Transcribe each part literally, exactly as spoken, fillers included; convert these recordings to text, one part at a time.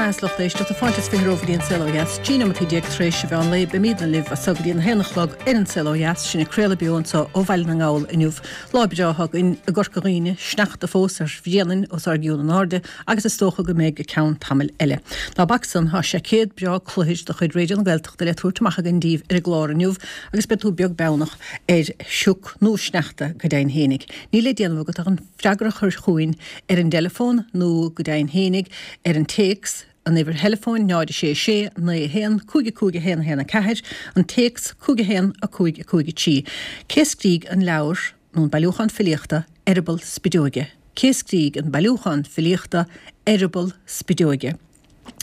maith lucht éisteachta fáilte is fiche romhaibh go dtí An Saol Ó Dheas, trí nóiméad déag tar éis an mheán lae beimidne libh as seo go dtí an haon a chlog ar An Saol Ó Dheas, sinn ag craoladh beo anseo ó Bhaile na nGall inniu. Lá breá againn i gCorca Dhuibhne, sneachta fós ar Bhréanainn os ár gcionn in airde agus is dócha go mbeidh go ceann tamaill eile. Ná bac san tá seaicéad breá cluthair de chuid Raidió na Gaeltachta le tabhairt amach againn daoibh ar an gclár inniu agus beidh tú beag beannach ar shioc nó sneachta go deimhin fhéinig. Níl le déanamh agat ach an freagra a chur chugainn ar an dteileafón nó go deimhin fhéinig ar an téacs an uimhir theileafóin náid sé sé naoi haon cúig cúig haon haon a ceathair, an téacs cúig haon a cúig a cúig a trí. Cé a scrígh an leabhar nó an bailiúchán filíochta Eireaball Spideoige? Cé a scrígh an bailiúchán filíochta Eireaball Spideoige?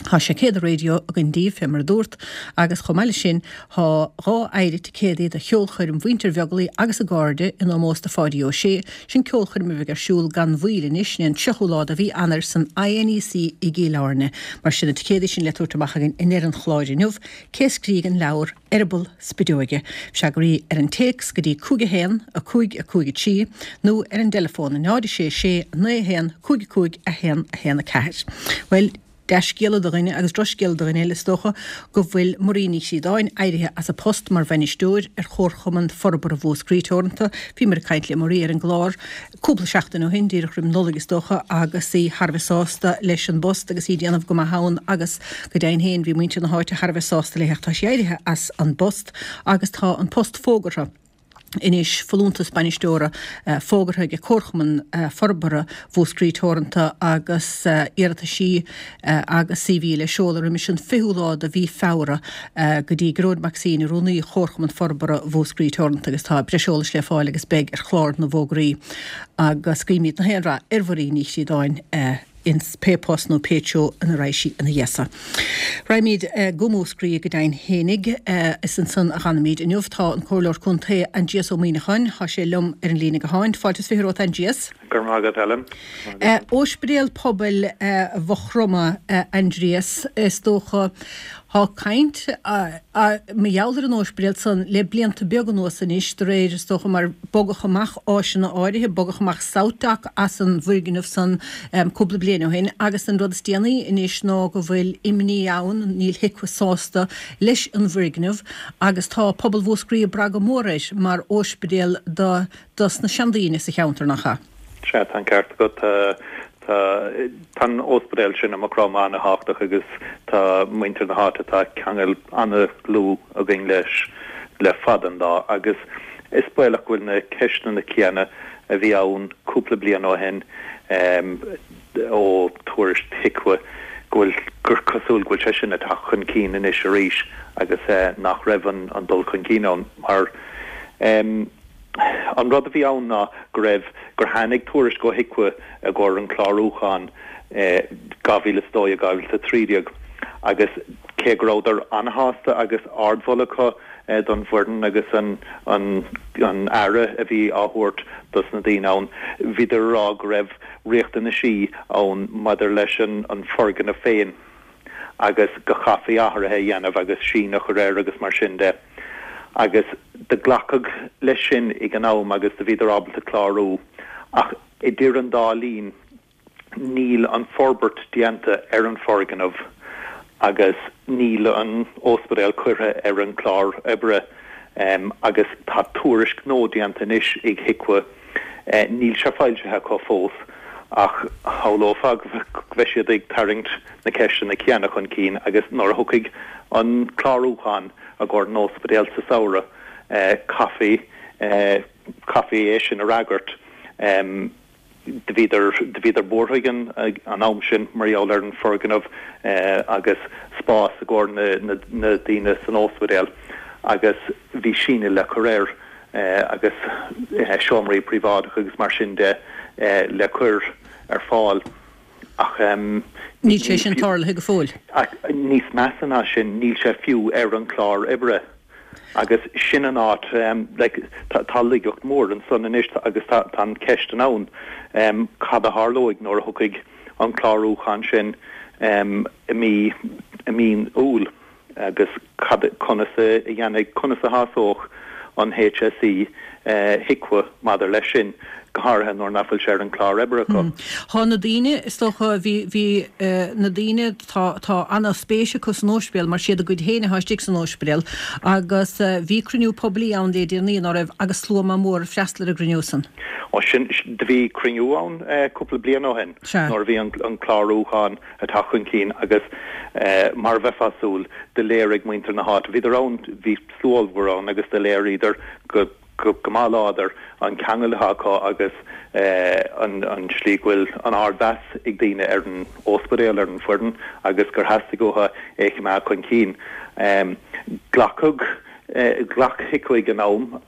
Tá seaicéad raidió againn daoibh fé mar a dúrt agus chomh maith leis sin tá dhá phéire ticéadaí do cheolchoirm Mhuintir Bheaglaoich agus a gcairde in ómós do Pháidí Ó Sé, sin ceolchoirm a bheidh ar siúl gan mhoill anois, sin é an tríochú lá de mhí Eanáir san INEC i gCill Airne. Mar sin na ticéadaí sin le tabhairt amach againn i ndeireadh an chláir inniu. Cé a scrígh an leabhar Eireaball Spideoige? Freagraí ar an téacs go dtí cúig a haon, a cúig, a cúig a trí nó ar an dteileafón náid a sé sé naoi a haon cúig a cúig a haon a haon a ceathair. Bhuel, dea-scéala do dhuine agus drochscéala do dhuine eile is dócha go bhfuil Marie Ní Chríodáin éirithe as a post mar bhainisteoir ar Chomharchumann Forbartha Mhúscraí Teoranta. Bhíomar ag caint le Marie ar an gclár cúpla seachtain ó shin, díreach roimh Nollaig is dócha, agus í thar a bheith sásta leis an bpost agus í ag déanamh go maith ann agus go deimhin féin bhí muintir na háite thar a bheith sásta léi ach tá sí éirithe as an bpost agus tá an post fógartha. Anois folúntas bainisteora fógartha ag Comharchumann Forbartha Mhúscraí Teoranta agus iarrataisí agus CV le seoladh roimis an fichiú lá de mhí Feabhra go dtí Gearóid Mac Suibhne, Rúnaí Chomharchumann Forbartha Mhúscraí Teoranta agus tá breis eolais le fáil agus beidh ar chlár na bhfógraí agus guímid na haon rath ar Mharie Ní Chríodáin. ins pé post nó pé treo ina raghaidh sí ina dhiaidh so. Raghaimid go Múscraí go deimhin fhéinig, is ansan a dh'fhanfaimid inniu. Tá an Comhairleoir Contae Aindrias Ó Muimhneacháin, tá sé liom ar an líne gutháin. Fáilte is fiche romhat Aindrias. Go raibh maith agat Helen. Óispidéal Pobail Mhaigh Chromtha, Aindrias, is dócha. Tá caint mar gheall ar an óispidéal san le blianta beaga anuas anois, de réir, is dócha, mar bogadh amach áiseanna áirithe, bogadh amach SouthDoc as an bhfoirgneamh san cúpla bliain ó shin agus an rud is déanaí anois ná go bhfuil imní ann, níl HIQA sásta leis an bhfoirgneamh agus tá pobal Mhúscraí ag brath go mór air mar óispidéal do dos na seandaoine sa cheantar, nach ea? Sea, tá an ceart agat. Tá tá an óispidéal sin i Maigh Chromtha an-thábhachtach agus tá muintir na háite, tá ceangal an-dlúth againn leis le fada an lá agus is baolach go bhfuil na ceisteanna céanna a bhí ann cúpla bliain ó shin ó tuairisc HIQA go bhfuil gur cosúil go bhfuil sé sin ag teacht chun cinn anois arís agus nach raibh an dul chun cinn ann mar An rud a bhí ann ná go raibh, gur tháinig tuairisc ó HIQA i gcomhair an chlárúcháin dhá mhíle is a dó dhéag, dhá mhíle is a trí déag agus cé go rabhadar an-shásta agus ardmholadh acu don bhfoireann agus an an aire a bhí á thabhairt dos na daoine ann, bhíodar ag rá go raibh riachtanaisí ann maidir leis an foirgneamh féin. agus go chaithfí athruithe a dhéanamh agus síneadh a chur air agus mar sin de. Agus do glacadh leis sin ag an am agus do bhíodar ábalta clárú. Ach idir an dá linn níl an forbairt déanta ar an foirgneamh agus níl an óispidéal curtha ar an chlár oibre agus tá tuairisc nua déanta anois ag HIQA. Níl sé foilsithe acu fós ach shamhlófá go mbeidh siad ag tarraingt na ceisteanna céanna chun cinn agus nuair a thiocfaidh an clárúchán i gcomhair an óispidéil sa samhradh, caithfí caithfí é sin a fhreagairt. Do bhíodar do bhíodar buartha ag an an am sin mar gheall ar an foirgneamh agus spás i gcomhair na na daoine san óispidéal agus bhí síneadh le cur air. agus seomraí príobháideacha agus mar sin de le cur ar fáil ach níl sé sin tarlaithe go fóill. Ach níos measa ná sin, níl sé fiú ar an chlár oibre agus sin an áit, like, tá laigeacht mhór ansan anois agus tá an cheist ann cad a tharlóidh nuair a thiocfaidh an clárúchán sin i mí i mí Iúil. Agus cad, conas a dhéanfaidh, conas a shásódh an HSE HIQA maidir leis sin, go háirithe nuair nach bhfuil sé ar an chlár oibre acu. Tá na daoine, is dócha, bhí, bhí na daoine, tá, tá ana-spéis acu san óispidéal mar siad a gcuid féin atá istigh san óispidéal agus bhí cruinniú poiblí ann le déanaí, ná raibh, agus slua maith mór ag freastal ar an gcruinniú san. Ó sin, do bhí cruinniú ann cúpla bliain ó shin nuair a bhí an, an clárúchán ag teacht chun cinn agus mar a bheifeá ag súil, do léirigh muintir na háite, bhíodar ann, bhí slua ollmhór ann agus do léiríodar go, go maith láidir an ceangal atá acu agus an tslí go bhfuil an ardmheas ag daoine ar an óspidéal, ar an bhfoireann agus gur theastaigh uathu é a choimeád chun cinn. Glacadh, ghlac HIQA ag an am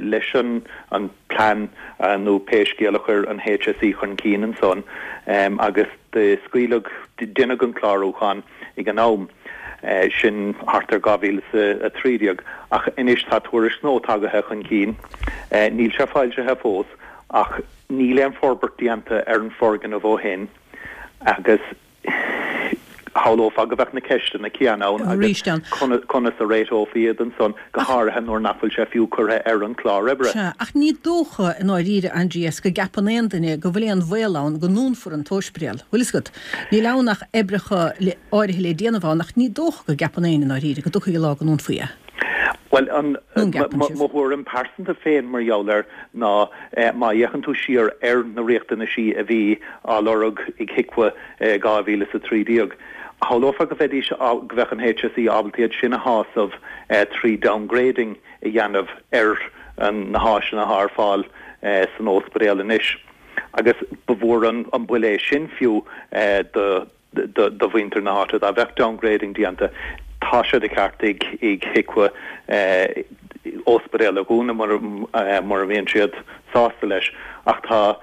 leis an plean nó pé scéal a chuir an HSE chun cinn ansan agus do scaoileadh, deineadh an clárúchán ag an am. sin thart ar dhá mhíle is a trí déag, ach anois tá tuairisc nua tagaithe chun cinn. Níl sé foilsithe fós, ach níl aon forbairt déanta ar an foirgneamh ó shin agus shamhlófá go mbeadh na ceisteanna céanna ann agus conas a réiteofaí iad ansan, go háirithe nuair nach bhfuil sé fiú curtha ar an chlár oibre. Sea, ach ní dócha i ndáiríre, Aindrias, go gceapann aon duine go bhfuil aon bhaol ann go ndúnfar an t-óispidéal. Bhfuil fhios agat? Níl ann ach oibreacha áirithe le déanamh ann ach ní dócha go gceapann éinne i ndáiríre go dtiocfaidh an lá go ndúnfaí é. Bhuel, an, mo thuairim pearsanta féin mar gheall air ná má fhéachann tú siar ar na riachtanaisí a bhí á lorg ag HIQA i dhá mhíle is a trí déag, shamhlófá go mbeidís, go mbeadh an HSE ábalta iad sin a shásamh trí downgrading a dhéanamh ar na háiseanna atá ar fáil san óspidéal anois. Agus ba mhór an buille é sin fiú do do mhuintir na háite dá mbeadh downgrading déanta. Tá sé de cheart ag HIQA óspidéal a dhúnadh mura mbíonn siad sásta leis ach tá,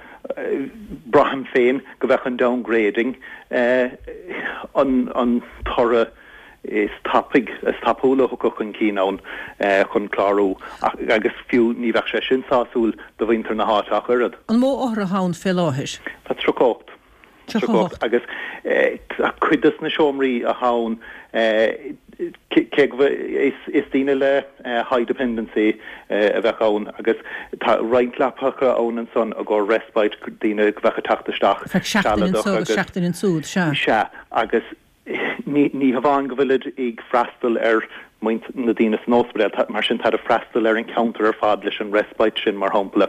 braithim féin go mbeadh an downgrading an toradh is tapaidh, is tapúla a thiocfadh chun cinn ann chun clárú agus fiú ní bheadh sé sin sásúil do mhuintir na háite ach oiread. An mó othar atá ann fé láthair? Tá tríocha a hocht. Tríocha a hocht. Agus cuid de na seomraí atá ann, cé go is daoine le high dependency a bheadh ann agus tá roinnt leapacha ann ansan i gcomhair respite, daoine go bheadh ag teacht isteach sealadach agus. Seachtain ansúd, sea. Sea, agus Ní hamháin go bhfuilid ag freastal ar muintir na daoine san ospidéal, mar sin táid ag freastal ar an cheantar ar fad leis an respite sin, mar shampla.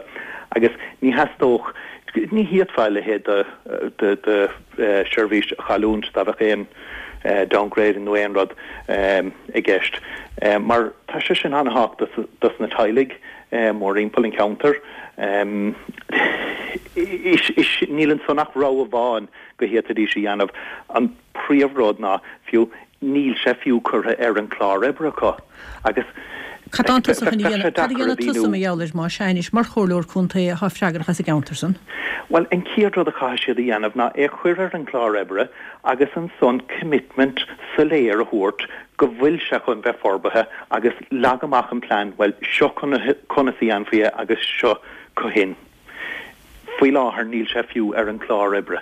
Agus ní theastódh, ní fhéadfá a leithéid de sheirbhís a chailliúint dá mbeadh aon downgrading nó aon rud i gceist, mar tá sé sin an-thábhachtach dos na teaghlaigh mórthimpeall an cheantair. Níl ansan ach rogha amháin go bhféadfaidís a dhéanamh. An príomhrud ná fiú níl sé fiú curtha ar an chlár oibre acu agus Cad tá tusa chun a dhéanamh, cad a dhéanfaidh tusa mar gheall air más ea anois mar chomhairleoir contae atá freagrach as an gceantar san? Bhuel, an chéad rud a chaithfidh siad a dhéanamh ná é a chur ar an chlár oibre agus ansan commitment soiléir a thabhairt go bhfuil sé chun bheith forbartha agus leag amach an plean, bhuel, seo conas a dhéanfaí é agus seo cathain. Faoi láthair níl sé fiú ar an chlár oibre.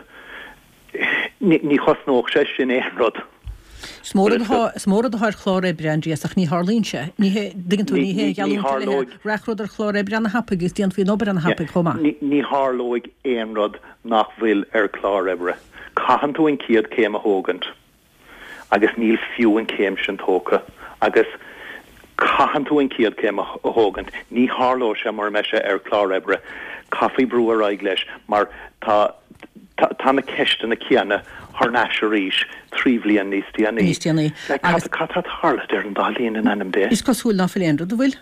Ní chosnódh sé sin aon rud. Is mór rud atá, is mór rud atá ar chlár oibre, Aindrias, ach ní tharlaíonn sé. Ní hé, dtuigeann tú, ní hé an gheallúint eile é. Rachadh rud ar chlár oibre ana-thapaidh agus déanfaí an obair ana-thapaidh chomh maith. Ní tharlóidh aon rud nach bhfuil ar chlár oibre. Caitheann tú an chéad chéim a thógaint. agus níl fiú an chéim sin tógtha agus caitheann tú an chéad chéim a thógaint, ní tharlóidh sé mura mbeidh sé ar chlár oibre. Caithfí brú ar aghaidh leis mar tá tá na ceisteanna céanna thar n-ais arís trí bhliain níos déanaí. Níos déanaí. Agus cad tá ag tarlú idir an dá linn in ainm Dé? Is cosúil ná fuil aon rud, an bhfuil?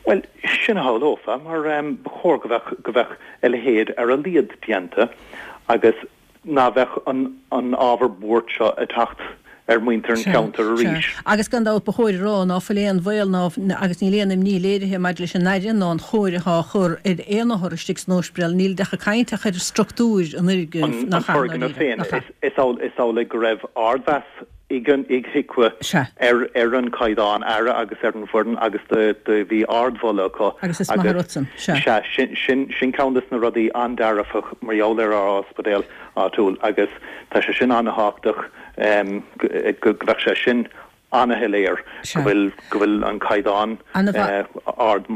Bhuel, sin a shamhlófá mar ba chóir go bheadh go bheadh a leithéid ar a laghad déanta agus ná bheadh an ábhar buairt seo ag teacht ar mhuintir an cheantair arís. Sea. Agus gan dabht ba chóir a rá ná fuil aon bhaol ná agus níl aon imní léirithe maidir leis an aire ná an chóir atá á chur ar aon othar istigh san óispidéal. Níl ach ag caint ach ar struchtúir an fhoirgnimh nach ea, An foirgneamh féin. Is amhlaidh go raibh ardmheas ag HIQA ar an chaighdeán aire agus ar an bhfoireann agus do bhí ardmholadh acu. Agus is maith an rud san. Sea. Sea, sin sin ceann des na rudaí an-dearfach mar gheall ar ár ospidéal áitiúil agus tá sé sin an-thábhachtach go mbeadh sé sin Ana-shoiléir go bhfuil go bhfuil an caighdeán ard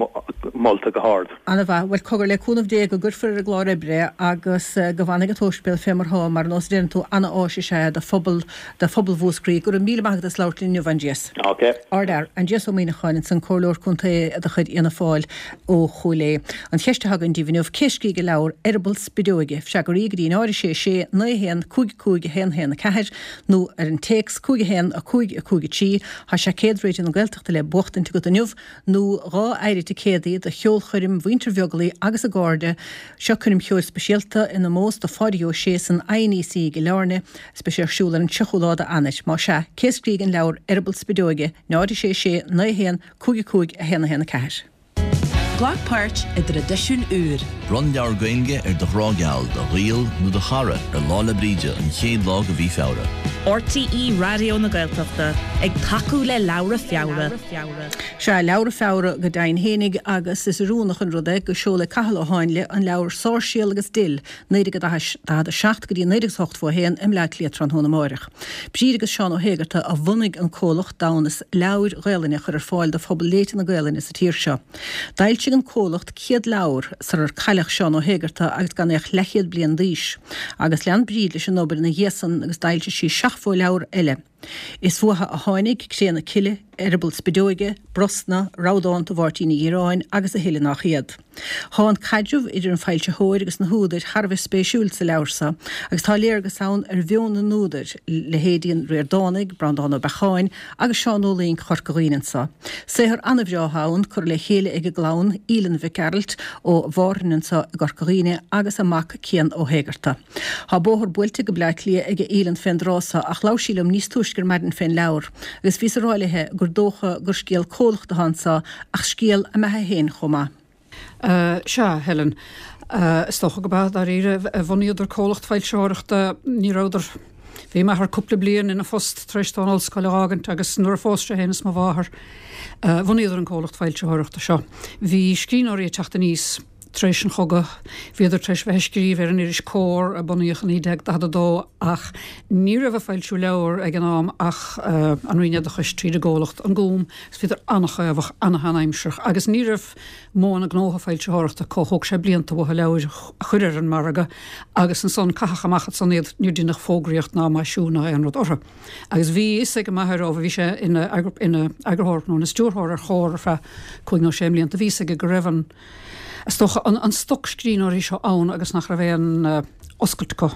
molta go hard. Ana-mhaith. Bhuel cogar le cúnamh Dé go gcuirfear ar an gclár oibre é agus go bhfanfaidh an t-ospidéal fé mar thá mar nós a deireann tú ana-áis is ea do phobal do phobal Mhúscraí. Go raibh míle maith agat as labhairt linn inniu Aindrias. Ok. Ardfhear, Aindrias Ó Muíneacháin ansan Comhairleoir Contae de chuid Fhianna Fáil ó Chúil Aodha. An cheist atá againn daoibh inniu, cé a scrígh an leabhar Eireaball Spideoige? Freagraí go dtí náid a sé sé naoi a haon cúig cúig a haon a haon a ceathair nó ar an téacs cúig a haon a cúig a cúig a trí. Tá seaicéad Raidió na Gaeltachta le buachtaint agat inniu nó dhá éire ticéadaí do cheolchoirm Mhuintir Bheaglaoich agus a gcairde. Seo coirm cheoil speisialta in omós do Phádraig Ó Sé san INEC i gCill Airne is beidh sé ar siúl ar an tríochú lá d'Eanáir. Más ea, cé a scrígh an leabhar Eireaball Spideoige? náid a sé sé naoi a haon cúig a cúig a haon a haon a ceathair. Glac páirt i dtraidisiún úr. Bronn leabhar Gaeilge ar do ghrá geal, do ghaol nó do chara ar Lá 'le Bríde an chéad lá de mhí Feabhra. RTÉ Raidió na Gaeltachta ag tacú le Leabhra Feabhra. Sea, Leabhra Feabhra go deimhin fhéinig agus is oiriúnach an rud é go seolfaidh Cathal Ó Háinle an leabhar Sáirséal agus Dill, naoi déag daichead a seacht go dtí naoi déag is ochtó a haon i mBleá Cliath tráthnóna amáireach. Bríd agus Seán Ó hÉigeartaigh a bhunaigh an comhlacht d'fhonn is leabhair Ghaelainne a chur ar fáil do phobal léite na Gaelainne sa tír seo. D'fhoilsigh an comhlacht céad leabhar sarar cailleadh Seán Ó hÉigeartaigh agus gan é ach leathchéad bliain d'aois. Agus lean Bríd leis an obair ina dhiaidh san agus d'fhoilsigh sí seachtó leabhar eile. Is uathu a tháinig Cré na Cille, Eireaball Spideoige, Brosna, Rabhdánta Mháirtín Uí Dhireáin agus a thuilleadh nach iad. Tá an caidreamh idir an foilsitheoir agus na húdair thar a bheith spéisiúil sa leabhar seo agus tá léargas ann ar mheon na n-údar, leithéidí an Ríordánaigh, Breandán Ó Beacháin agus Seán Ó Luing Chorca Dhuibhne anseo. Saothar an-bhreá atá ann, curtha le chéile ag a gclann, Aoileann Mhic Gearailt ó Mhárthain anseo i gCorca Dhuibhne agus a mac Cian Ó hÉigeartaigh. Tá bóthar buailte go Bleá Cliath ag Aoileann fén dtráth seo ach labhair sí liom níos túisce ar maidin fén leabhar agus bhíos ag rá léithe gur dócha gur scéal comhlachta atá anseo ach scéal a mbeatha féin chomh maith. Sea, Helen. Is dócha go b'ea, dáiríre. Bhunaíodar comhlacht foilsitheoireachta, ní rabhadar, bhí m'athair cúpla bliain ina phost tar éis dó an ollscoil a dh'fhágaint agus nuair a phós sé féin is mo mháthair, bhunaíodar an comhlacht foilsitheoireachta seo. Bhí scríbhneoirí ag teacht aníos tar éis an chogaidh, bhíodar tar éis bheith ag scríobh ar an iris Comhar a bunaíodh i naoi déag daichead a dó ach ní raibh ag foilsiú leabhar ag an am ach an Roinn Oideachais tríd an gcomhlacht An Gúm agus bhíodar an-chaomhach, an-sheanaimsearach agus ní raibh modhanna gnótha foilsitheoireachta acu, thóg sé blianta uathu leabhair a chur ar an margadh agus ansan caitheadh amach ansan iad, níor deineadh fógraíocht ná maisiú ná aon rud orthu. Agus bhí fhios ag m'athair ó bhí sé ina eagarthóir nó ina stiúrthóir ar Chomhar ar feadh cúig nó sé mblianta, bhí fhios aige go raibh an, is dócha, an stoc scríbhneoirí seo ann agus nach raibh aon oscailt acu,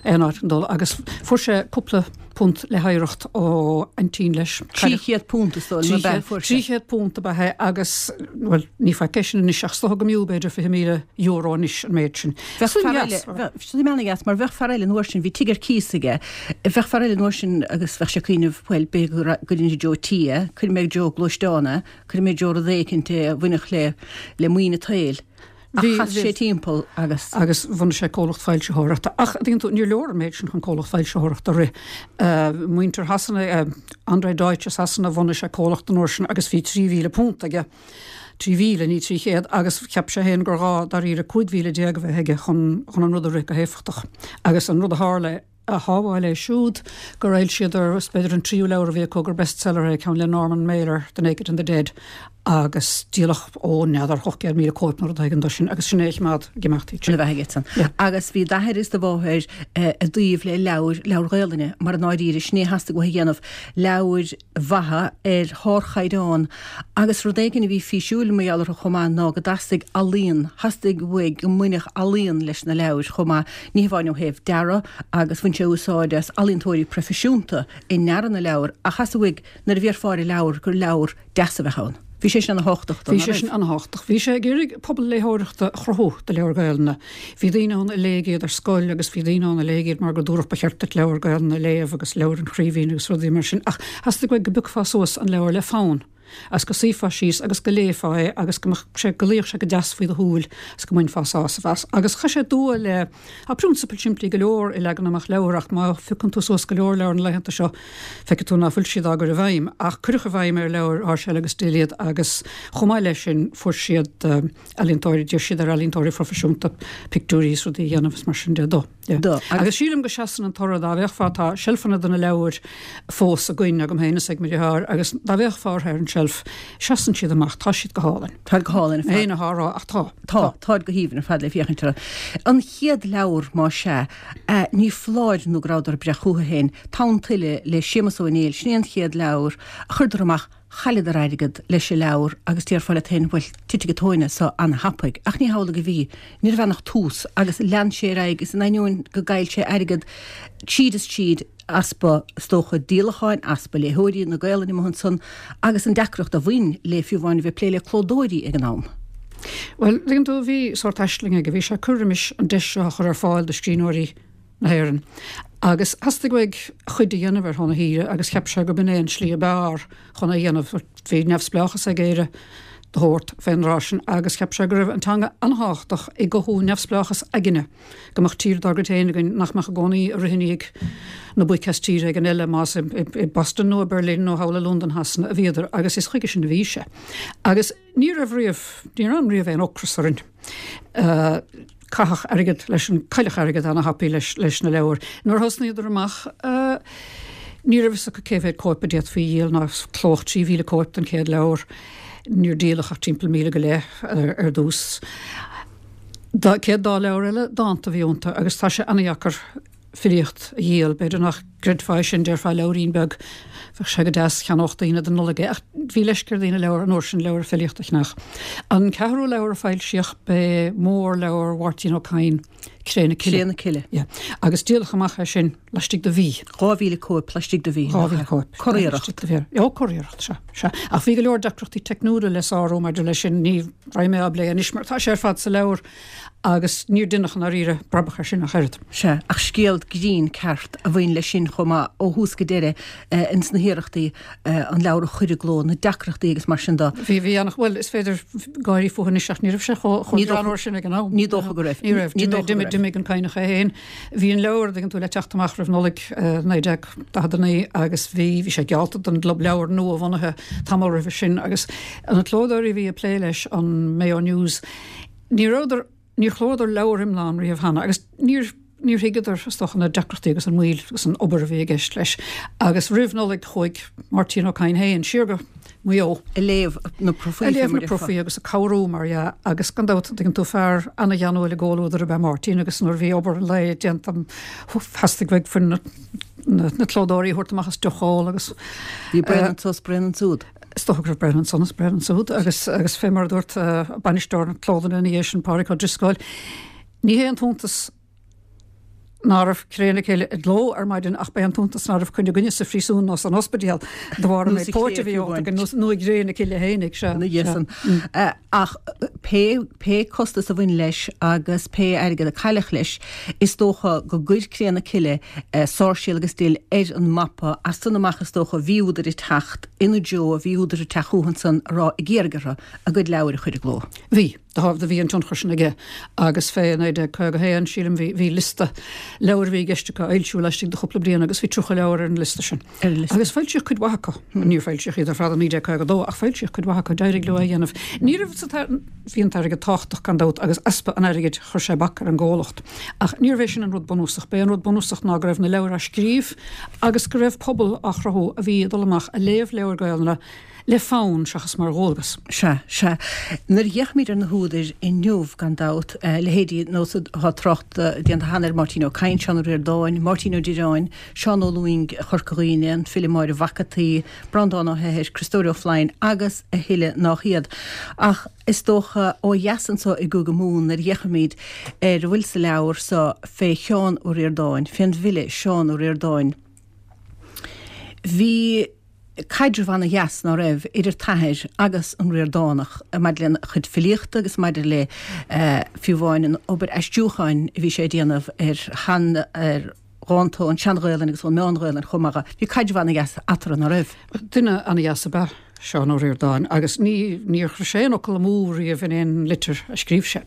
aon áit chun dul agus fuair sé cúpla punt le hoidhreacht ó aintín leis. Trí chéad punt is dóigh liom ab ea a fuair sé. Trí chéad punt ab ea é agus, bhuel, ní faic é sin anois ach is dócha go mb'fhiú b'fhéidir fiche míle euro anois an méid sin. Bheadh fear eile, suim ana-dheas, mar bheadh fear eile an uair sin, bhí tigh ar cíos aige, bheadh fear eile an uair sin agus bheadh sé ag cuimhneamh, bhuel, b'fhéidir go gcuirfinn i dtreo tí é, cuirfidh mé i dtreo gluaisteán é, Cuirfidh mé i dtreo rud éicint é a bhainfeadh le le maoin an tsaoil. Ach chas sé timpeall agus. Agus bhunaigh sé comhlacht foilsitheoireachta. Ach, tuigeann tú, níor leor an méid sin chun comhlacht foilsitheoireachta a rith. Muintir Shasana, André Deutsch i Sasana, bhunaigh sé comhlacht an uair sin agus bhí trí mhíle punt aige. Trí mhíle, ní trí chéad, agus cheap sé féin gur ghá dáiríre cúig mhíle déag a bheith aige chun chun an rud a rith go héifeachtach. Agus an rud a tharla, a shábháil é siúd gur fhoilsíodar, is b'fhéidir an tríú leabhar a bhí acu gur bestseller é, ceann le Norman Mailer, The Naked and the Dead, agus díoladh, ó, n'fheadar, ocht gcéad míle cóip nó rud éigin de sin agus sin é a choimeád ag imeacht iad sin. Ina bheatha aige. Agus bhí d'athair is do mháthair i dtaobh le leabhair, leabhair Ghaelainne, mar i ndáiríre, sin é a theastaigh uathu a dhéanamh, leabhair mhaithe ar shárchaighdeán agus rud éigin a bhí físiúil mar gheall orthu chomh maith ná go dteastaigh ealaíon, theastaigh uaidh go mbainfeadh ealaíon leis na leabhair chomh maith, ní hamháin ó thaobh dearadh agus bhain sé úsáid as ealaíontóirí proifisiúnta i ndearadh na leabhar ach theastaigh uaidh nuair a bhéarfá ar an leabhar gur leabhar deas a bheadh ann. Bhí sé sin ana-thábhachtach dó, Bhí sé sin ana-thábhachtach. Bhí sé ag iarraidh pobal léitheoireachta a chruthú do leabhair Gaelainne. Bhí daoine ann a léigh iad ar scoil agus bhí daoine ann a léigh iad mar go dúradh ba cheart duit leabhar Gaelainne a léamh agus leabhair an Chraoibhín agus rudaí mar sin ach theastaigh uaidh go bpiocfá suas an leabhar le fonn. Agus go suífeá síos agus go léifeá é agus go mbeadh sé, go luífeadh sé go deas faoi do shúil agus go mbainfeá sásamh as. Agus chaith sé dua le, tá prionsabail simplí go leor i leagan amach leabhar ach má phiocann tú suas go leor leabhar na laethanta seo feicfidh tú ná fuil siad á gcur i bhfeidhm. Ach cuireadh i bhfeidhm ar leabhair Sháirséal agus Dill iad agus chomh maith leis sin fuair siad ealaíontóirí, d'iarr siad ar ealaíontóirí proifisiúnta pictiúirí is rudaí a dhéanamh is mar sin de dó. Do. Agus sílim go seasann an toradh, dá bhféachfá, tá seilfeanna de na leabhair fós againn, agam féin is ag mo dheartháir, agus dá bhféachfá orthu ar an tseilf, seasann siad amach, tá siad go hálainn. Táid go hálainn ar fad. Mé féin atá á rá, ach tá. Tá, táid go haoibhinn ar fad le féachaint orthu. An chéad leabhar, más ea, ní foláir nó go rabhadar ag breith chucu féin, Tonn Tuile le Séamus Ó Néill, sin é an chéad leabhar a chuireadar amach, Chailleadar airgead leis an leabhar agus déarfá leat féin, bhuel, titfidh an tóin as so ana-thapaidh. Ach ní hamhlaidh a bhí. Ní raibh ann ach tús agus lean sé ar aghaidh is in ainneoin go gcaill sé airgead tríd is tríd, easpa, is dócha, díolacháin, easpa léitheoirí na Gaelainne amuigh ansan agus an deacracht a bhain le fiú amháin a bheith ag plé le clódóirí ag an am. Bhuel, tuigeann tú, bhí sórt aisling aige, bhí sé ag cur roimis an deis seo a chur ar fáil do scríbhneoirí na hÉireann. Agus theastaigh uaidh a chuid a dhéanamh ar shon a thíre agus cheap sé gurb in é an tslí ab fhearr chun é a dhéanamh. Bhí neamhspleáchas ag Éire de shórt fén dtráth sin agus cheap sé go raibh an teanga an-thábhachtach i gcothú neamhspleáchas aigne, go mbeadh tír dár gcuid féin againn nach mbeadh i gcónaí ag rith i ndiaidh na boic as tír éigin eile, más i Boston nó i Berlin nó thall i Londain Shasana a bhíodar agus is chuige sin a bhí sé. Agus ní raibh riamh, ní raibh riamh aon ocras orainn. Caitheadh airgead leis an, cailleadh airgead ana-thapaidh leis, leis na leabhair. Nuair a thosnaíodar amach, ní raibh fhios acu cé mhéad cóip a d'fhéadfaí a dhíol, ná clódh trí mhíle cóip den chéad leabhar. Níor díoladh ach timpeall míle go leith ar dtús. Dá, céad dá leabhar eile, dánta a bhí iontu agus tá sé ana-dheacair filíocht a dhíol. B'fhéidir nach gcreidfeá é sin, déarfá leabhairín beag, bheadh sé go deas, cheannódh daoine don Nollaig é. Ach bhí leisce ar dhaoine leabhar, an uair sin, leabhar filíochta a cheannach. An ceathrú leabhar a foilsíodh, b'é mórleabhar Mháirtín Ó Cadhain, Cré na Cille. Cré na Cille. Yeah. Agus díoladh amach é sin laistigh de mhí. Dhá mhíle cóip laistigh de mhí. Dhá mhíle cóip. Curiarracht. Ó, curiarracht, sea, sea. Ach bhí go leor deacrachtaí teicniúla le sárú maidir leis sin, ní raghaidh mé á bplé anois mar tá sé ar fad sa leabhar. Agus níor deineadh i ndáiríre brabach air sin ach oiread. Sea, ach scéal grinn ceart a bhain leis sin chomh maith, ó thús go deireadh, ins na hiarrachtaí an leabhar a chur i gcló, na deacrachtaí agus mar sin de. Bhí, bhí an, bhuel, is féidir gáirí fúthu anois ach ní raibh sé chomh, chomh greannmhar sin ag an am. Ní dócha go raibh. Ní raibh. Ní dócha go raibh. D'imigh an Cadhnach é féin. Bhí an leabhar, dtuigeann tú, le teacht amach roimh Nollaig naoi déag daichead a naoi agus bhí, bhí sé geallta don gClub Leabhar nua-bhunaithe tamall roimhe sin agus na clódóirí a bhí ag plé leis, an Mayo News, Ní rabhadar, níor chlódadar leabhar iomlán riamh cheana agus níor, níor thuigeadar, is dócha, na deacrachtaí agus an mhoill agus an obair a bhí i gceist leis. Agus roimh Nollaig chuaigh Máirtín Ó Cadhain féin siar go Maigh Eo. Ag léamh na profaí. Ag léamh na profaí agus ag cabhrú, mar dhea, agus gan dabht, an dtuigeann tú, fear ana-gheanúil i gcomhluadar ab ea Máirtín agus nuair a bhí obair an lae déanta, theastaigh uaidh foireann na, na, na clódóirí a thabhairt amach as deoch a ól agus. Bhí braon anso is braon ansúd. Is dócha go raibh braon ansan is braon ansúd agus agus fé mar a dúirt bainisteoir na clódlainne ina dhiaidh sin, Pádraig Ó Drisceoil, ní hé an t-iontas ná raibh Cré na Cille i gcló ar maidin ach b'é an t-iontas ná raibh coinne againne sa phríosún nó san ospidéal de bharr an méid póit a bhí ólta againn nó i gCré na Cille fhéinig, sea. Ina dhiaidh san. Ach pé pé costas a bhain leis agus pé airgead a cailleadh leis, is dócha go gcuir Cré na Cille Sáirséal agus Dill ar an mapa as san amach is dócha bhí údair ag teacht ina dtreo, bhí údair ag teacht chucu ansan a rá ag iarraidh orthu a gcuid leabhair a chur i gcló. Bhí. Do bhí an tionchar sin aige agus fé naoi déag caoga a haon, sílim, bhí, bhí liosta leabhar a bhí i gceist acu a fhoilsiú laistigh de chúpla bliain agus bhí tríocha leabhar ar an liosta sin. Ar an liosta. Agus foilsíodh cuid mhaith acu. Níor foilsíodh iad ar fad i naoi déag caoga a dó ach foilsíodh cuid mhaith acu, d'éirigh leo é a dhéanamh. Ní raibh sa, bhí an t-airgead tábhachtach gan dabht agus easpa an airgid chuir sé bac ar an gcomhlacht. Ach níorbh é sin an rud bunúsach. B'é an rud bunúsach ná go raibh na leabhair á scríobh agus go raibh pobal á chruthú a bhí ag dul amach a léamh leabhair Gaelainne le fonn seachas mar dhualgas. Sea, sea. Nuair a fhéachaimid ar na húdair inniu, gan dabht, leithéidí nós atá trácht déanta cheana ar Máirtín Ó Cadhain, Seán Ó Ríordáin, Máirtín Ó Direáin, Seán Ó Lúing Chorca Dhuibhne, an file Máire Mhac an tSaoi, Breandán Ó hEithir, Criostóir Ó Floinn agus a thuilleadh nách iad. Ach is dócha, ó dheas anso i gCúige Mumhan, nuair a fhéachaimid ar a bhfuil sa leabhar so fé Sheán Ó Ríordáin, fén bhfile Seán Ó Ríordáin, bhí. caidreamh ana-dheas, ná raibh, idir t'athair agus an Ríordánach maidir lena chuid filíochta agus maidir le fiú amháin an obair aistriúcháin a bhí sé ag déanamh ar shean, ar dhánta ón tSean-Ghaelainn agus ón Meán-Ghaelainn chomh maith. Bhí caidreamh ana-dheas eatarthu, ná raibh? Duine ana-dheas ab ea Seán Ó Ríordáin agus ní níor chuir sé aon fhocal amú riamh in aon litir a scríobh sé.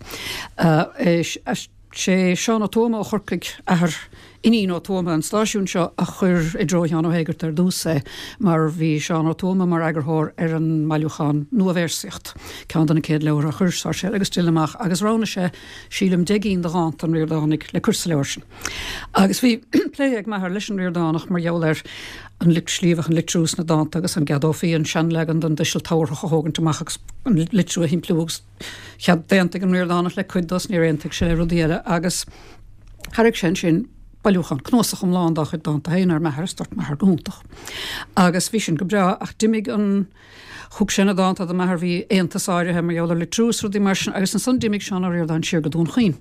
Sé Seán Ó Tuama ó Chorcaigh, athair Iníon Ó Tuama an stáisiúin seo, a chuir i dtreo Sheáin Ó hÉigeartaigh ar dtús é mar bhí Seán Ó Tuama mar eagarthóir ar an mbailiúchán Nua-Véarsaíocht, ceann de na céad leabhar a chuir Sáirséal agus Dill amach agus roghnaigh sé, sílim, deich gcinn de dhánta an Ríordánaigh le cur sa leabhar sin. Agus bhí plé ag m'athair leis an Ríordánach mar gheall ar an slí a bheadh an litriú sna dánta agus an gceadófaí an seanleagan den dtuiseal tabharthach a thógaint amach agus an litriú a shimpliú agus chead d'aontaigh an Ríordánach le cuid de is níor aontaigh sé le rudaí eile agus thairg sé ansin bailiúchán, cnuasach iomlán dá chuid dánta féin ar m'athair is dúirt m'athair go hiontach. Agus bhí sin go breá ach d'imigh an, thug sé na dánta do m'athair, bhí aontas áirithe mar gheall ar litriú is rudaí mar sin agus ansan d'imigh Seán Ó Ríordáin siar go Dún Chaoin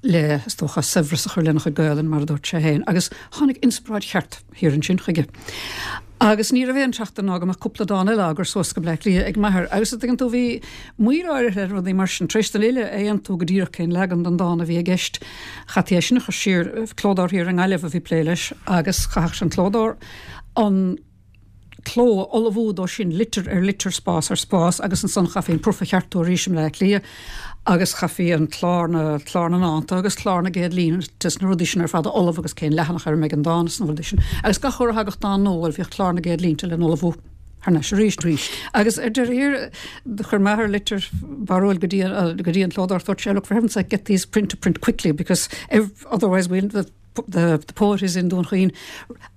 le, is dócha, saibhreas a chur lena chuid Gaelainne mar a dúirt sé féin agus tháinig inspioráid cheart thiar ansin chuige. Agus ní raibh aon tseachtain ná go mbeadh cúpla dán eile á gcur suas go Bleá Cliath ag m'athair agus a dtuigeann tú bhí moill áirithe le rudaí mar sin. Tar éis don fhile a aontú go díreach cén leagan den dán a bhí i gceist, chaithfí é sin a chur siar, clódóir thiar i nGaillimh a bhí ag plé leis agus chaithfeadh an clódóir an cló a ullmhú dó sin, litir ar litir, spás ar spás agus ansan chaithfí an proof a cheartú arís i mBleá Cliath agus chaithfí an clár na, clár na ndánta agus clár na gcéad línte is na rudaí sin ar fad a ullmhú agus cén leathanach ar a mbeidh an dán is na rudaí sin. Agus gach uair a thagadh dán nua, bhuel, bhíodh clár na gcéad línte le n-ullmhú thar n-ais arís. Arís. Agus ar deireadh thiar, do chuir m'athair litir barrúil go dtí an, go dtí an clódóir, dúirt sé, look, for heaven's sake, get these print to print quickly because otherwise we'll, the the, the poet is in Dún Chaoin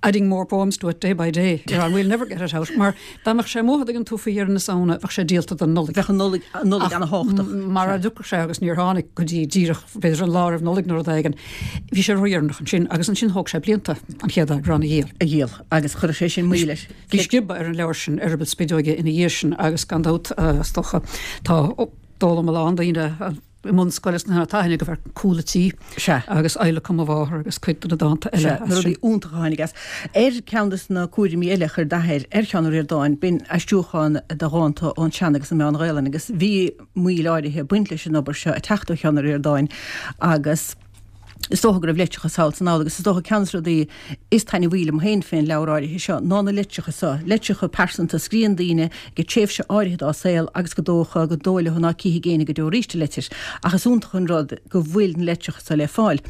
adding more poems to it day by day. You know, and we'll never get it out. Mar dá mbeadh sé amuigh a dtuigeann tú faoi dheireadh na Samhna, bheadh sé díolta don Nollaig. Bheadh an Nollaig, an Nollaig ana-thábhachtach. Mara dtiocfadh sé agus níor tháinig go dtí díreach b'fhéidir an lá roimh Nollaig nó rud éigin. Bhí sé ródheireanach ansin agus ansin thóg sé blianta an chéad eagrán a dhíol. A dhíol agus chuirfeadh sé sin moill leis. Bhí sciobadh ar an leabhar sin, Eireaball Spideoige, ina dhiaidh sin agus gan dabht, is dócha, tá d'fhoghlaim a lán daoine i mbunscoil is na taithne go bhfear Cúl a' Tí Sea. agus Adhlacadh Mo Mháthar agus cuid de na dánta eile Sea, na as sin. rudaí iontacha a tháinig as. Ar ceann de na cúraimí eile a chuir d'athair ar Sheán Ó Ríordáin, b'in aistriúchán de dhánta ón tSean agus an Meán-Ghaelainn agus bhí moill áirithe ag baint leis an obair seo ag teacht ó Sheán Ó Ríordáin agus is dócha go raibh litreacha sall is anall agus is dócha ceann de na rudaí is taitneamhaí liom féin fén leabhar áirithe seo ná na litreacha seo, litreacha pearsanta a scríonn daoine ag tréimhse áirithe dá saol agus go dócha go dóigh leo ná cífidh éinne go deo arís an litir. Ach is iontach an rud go bhfuil na litreacha seo le fáil.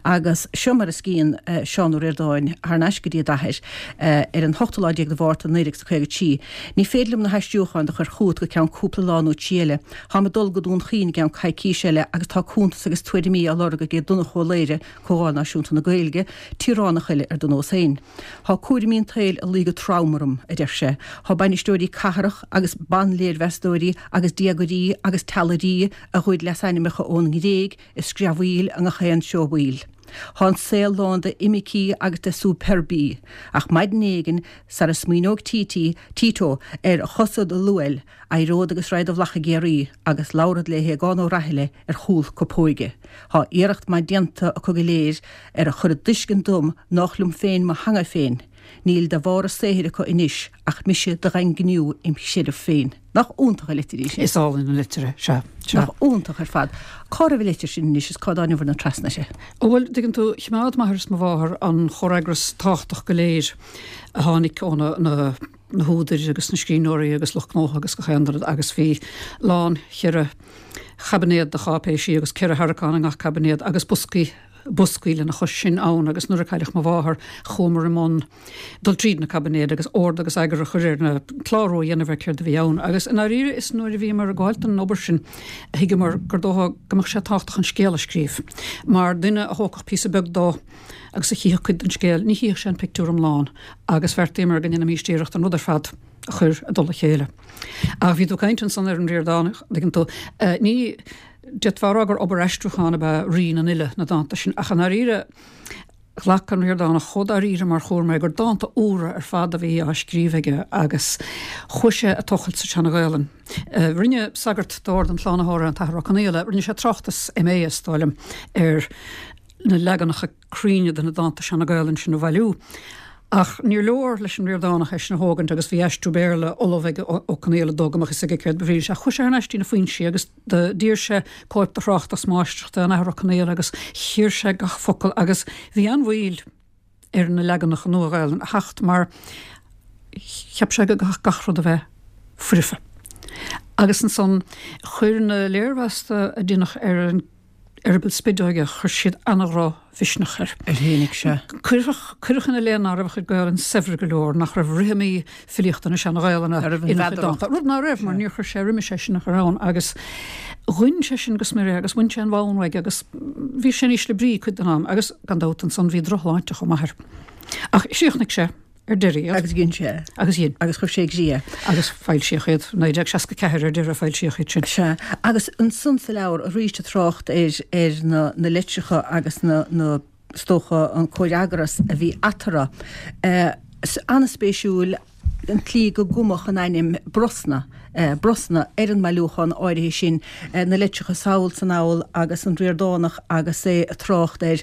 Agus seo mar a scríonn Seán Ó Ríordáin thar n-ais go dtí a d'athair ar an hochtú lá déag de Mhárta naoi déag is a caoga trí, Ní féidir liom na haistriúcháin do chur chugat go ceann cúpla lá nó trí eile. Táim ag dul go Dún Chaoin i gceann coicís eile agus tá cuntas agus tuairimí á lorg ag Donnchadh Ó Laoghaire, Comhdháil Náisiúnta na Gaeilge, tíoránach eile ar do nós féin. Thá cúraimí an tsaoil ag luí go trom orm, a deir sé. Thá bainisteoirí cathrach agus ban-léirmheastóirí agus diagairí agus teallairí a ghoid leasainmneacha ón nGréig ag screamhaíl i ngach aon seó baoil. Thá an saol lán de imicí agus de superbí, ach maidin éigin, sara smaoineoidh Títí, Tito, ar a chosa do luail, éireod agus raghad i bhflach i gCiarraí agus labharfad le hAogán Ó Raithile ar chúl copóige. Thá iarracht maith déanta acu go léir ar a chur i dtuiscint dom nách liom féin mo theanga féin. Níl de bharr a saothair acu anois ach mise do dhaingniú im chreideamh féin. Nach iontach an litir í sin? Is álainn an litir é, sea, sea. Nach iontach ar fad. Cá raibh an litir sin anois is cá dtáiniobhair trasna uirthi? Ó bhuel, dtuigeann tú, choimeád m'athair is mo mháthair an chomhfhreagras tábhachtach go léir a tháinig ó na, na, na húdair agus na scríbhneoirí agus lucht gnótha agus gach aon rud agus bhí lán cheithre chaibinéad de cháipéisí agus ceithre tharraiceán i ngach caibinéad agus boscaí boscaí lena chois sin ann agus nuair a cailleadh mo mháthair chuamar i mbun dul tríd na caibinéid agus ord agus eagar a chur ar na, clárú a dhéanamh ar céard a bhí ann agus i ndáiríre is nuair a bhíomar ag gabháilt don obair sin a thuigeamar gur dócha go mbeadh sé tábhachtach an scéal a scríobh mar duine a thógfadh píosa beag dó agus a chífeadh cuid den scéal ní chífeadh sé an pictiúr iomlán agus bheartaíomar go ndéanfaimis iarracht an rud ar fad a chur i dtoll a chéile. Ach bhí tú ag caint ansan ar an Ríordánach, dtuigeann tú, ní, d'fhéadfá a rá gur obair aistriúcháin ab ea Rí na nUile, na dánta sin, ach i ndáiríre ghlac an Ríordánach chomh dáiríre mar chúram é gur dánta úra ar fad a bhí á scríobh aige agus chuaigh sé ag tochailt sa tSeana-Ghaelainn. Rinne sagart d'Ord an tSlánaitheora, an tAthair Ó Conaola, rinne sé tráchtas M A is dóigh liom ar na leaganacha cruinne de na dánta Seana-Ghaelainn sin a bhailiú. Ach níor leor leis an Ríordánach é sin a thógaint agus bhí aistriú Béarla ullamh ag Ó Conaola dó go mbeadh fhios aige céard ba bhrí leis. Ach chuaigh sé thar n-ais dtí na foinsí agus d'iarr sé cóip de thráchtas máistreachta an Athar Ó Conaola agus chíor sé gach focal agus bhí an-mhoill ar na leaganacha Nua-Ghaelainne a theacht mar cheap sé go gcaithfeadh gach rud a bheith foirfe. Agus ansan chuir na léirmheasta a deineadh ar an Eireaball Spideoige, chuir siad an-dhrochmhisneach air. Ar tháinig sé. Cuireadh, cuireadh ina leith ná raibh a chuid Gaelainn saibhir go leor, nach raibh rithimí filíochta na Seana-Ghaelainne ina chuid dánta. Rud ná raibh, mar níor chuir sé roimis é sin a chur ann agus ghoin sé sin go smior é agus bhain sé an bonn uaidh agus bhí sé in ísle brí cuid den am agus gan dabht ansan bhí drochshláinte chomh maith air. Ach chríochnaigh sé. ar deireadh iad. Agus dhein sé. Agus dhein. Agus chuir sé i gcrích é. Agus foilsíodh iad, naoi déag seasca ceathair ar deireadh foilsíodh iad sin. Sea. Agus ansan sa leabhar arís ag trácht ar ar na na litreacha agus na na is dócha an comhfhreagras a bhí eatarthu. Eh, an-spéisiúil an tslí go gcumadh an ainm Brosna, Brosna ar an mbailiúchán áirithe sin, na litreacha sall 's anall agus an Ríordánach agus é ag trácht ar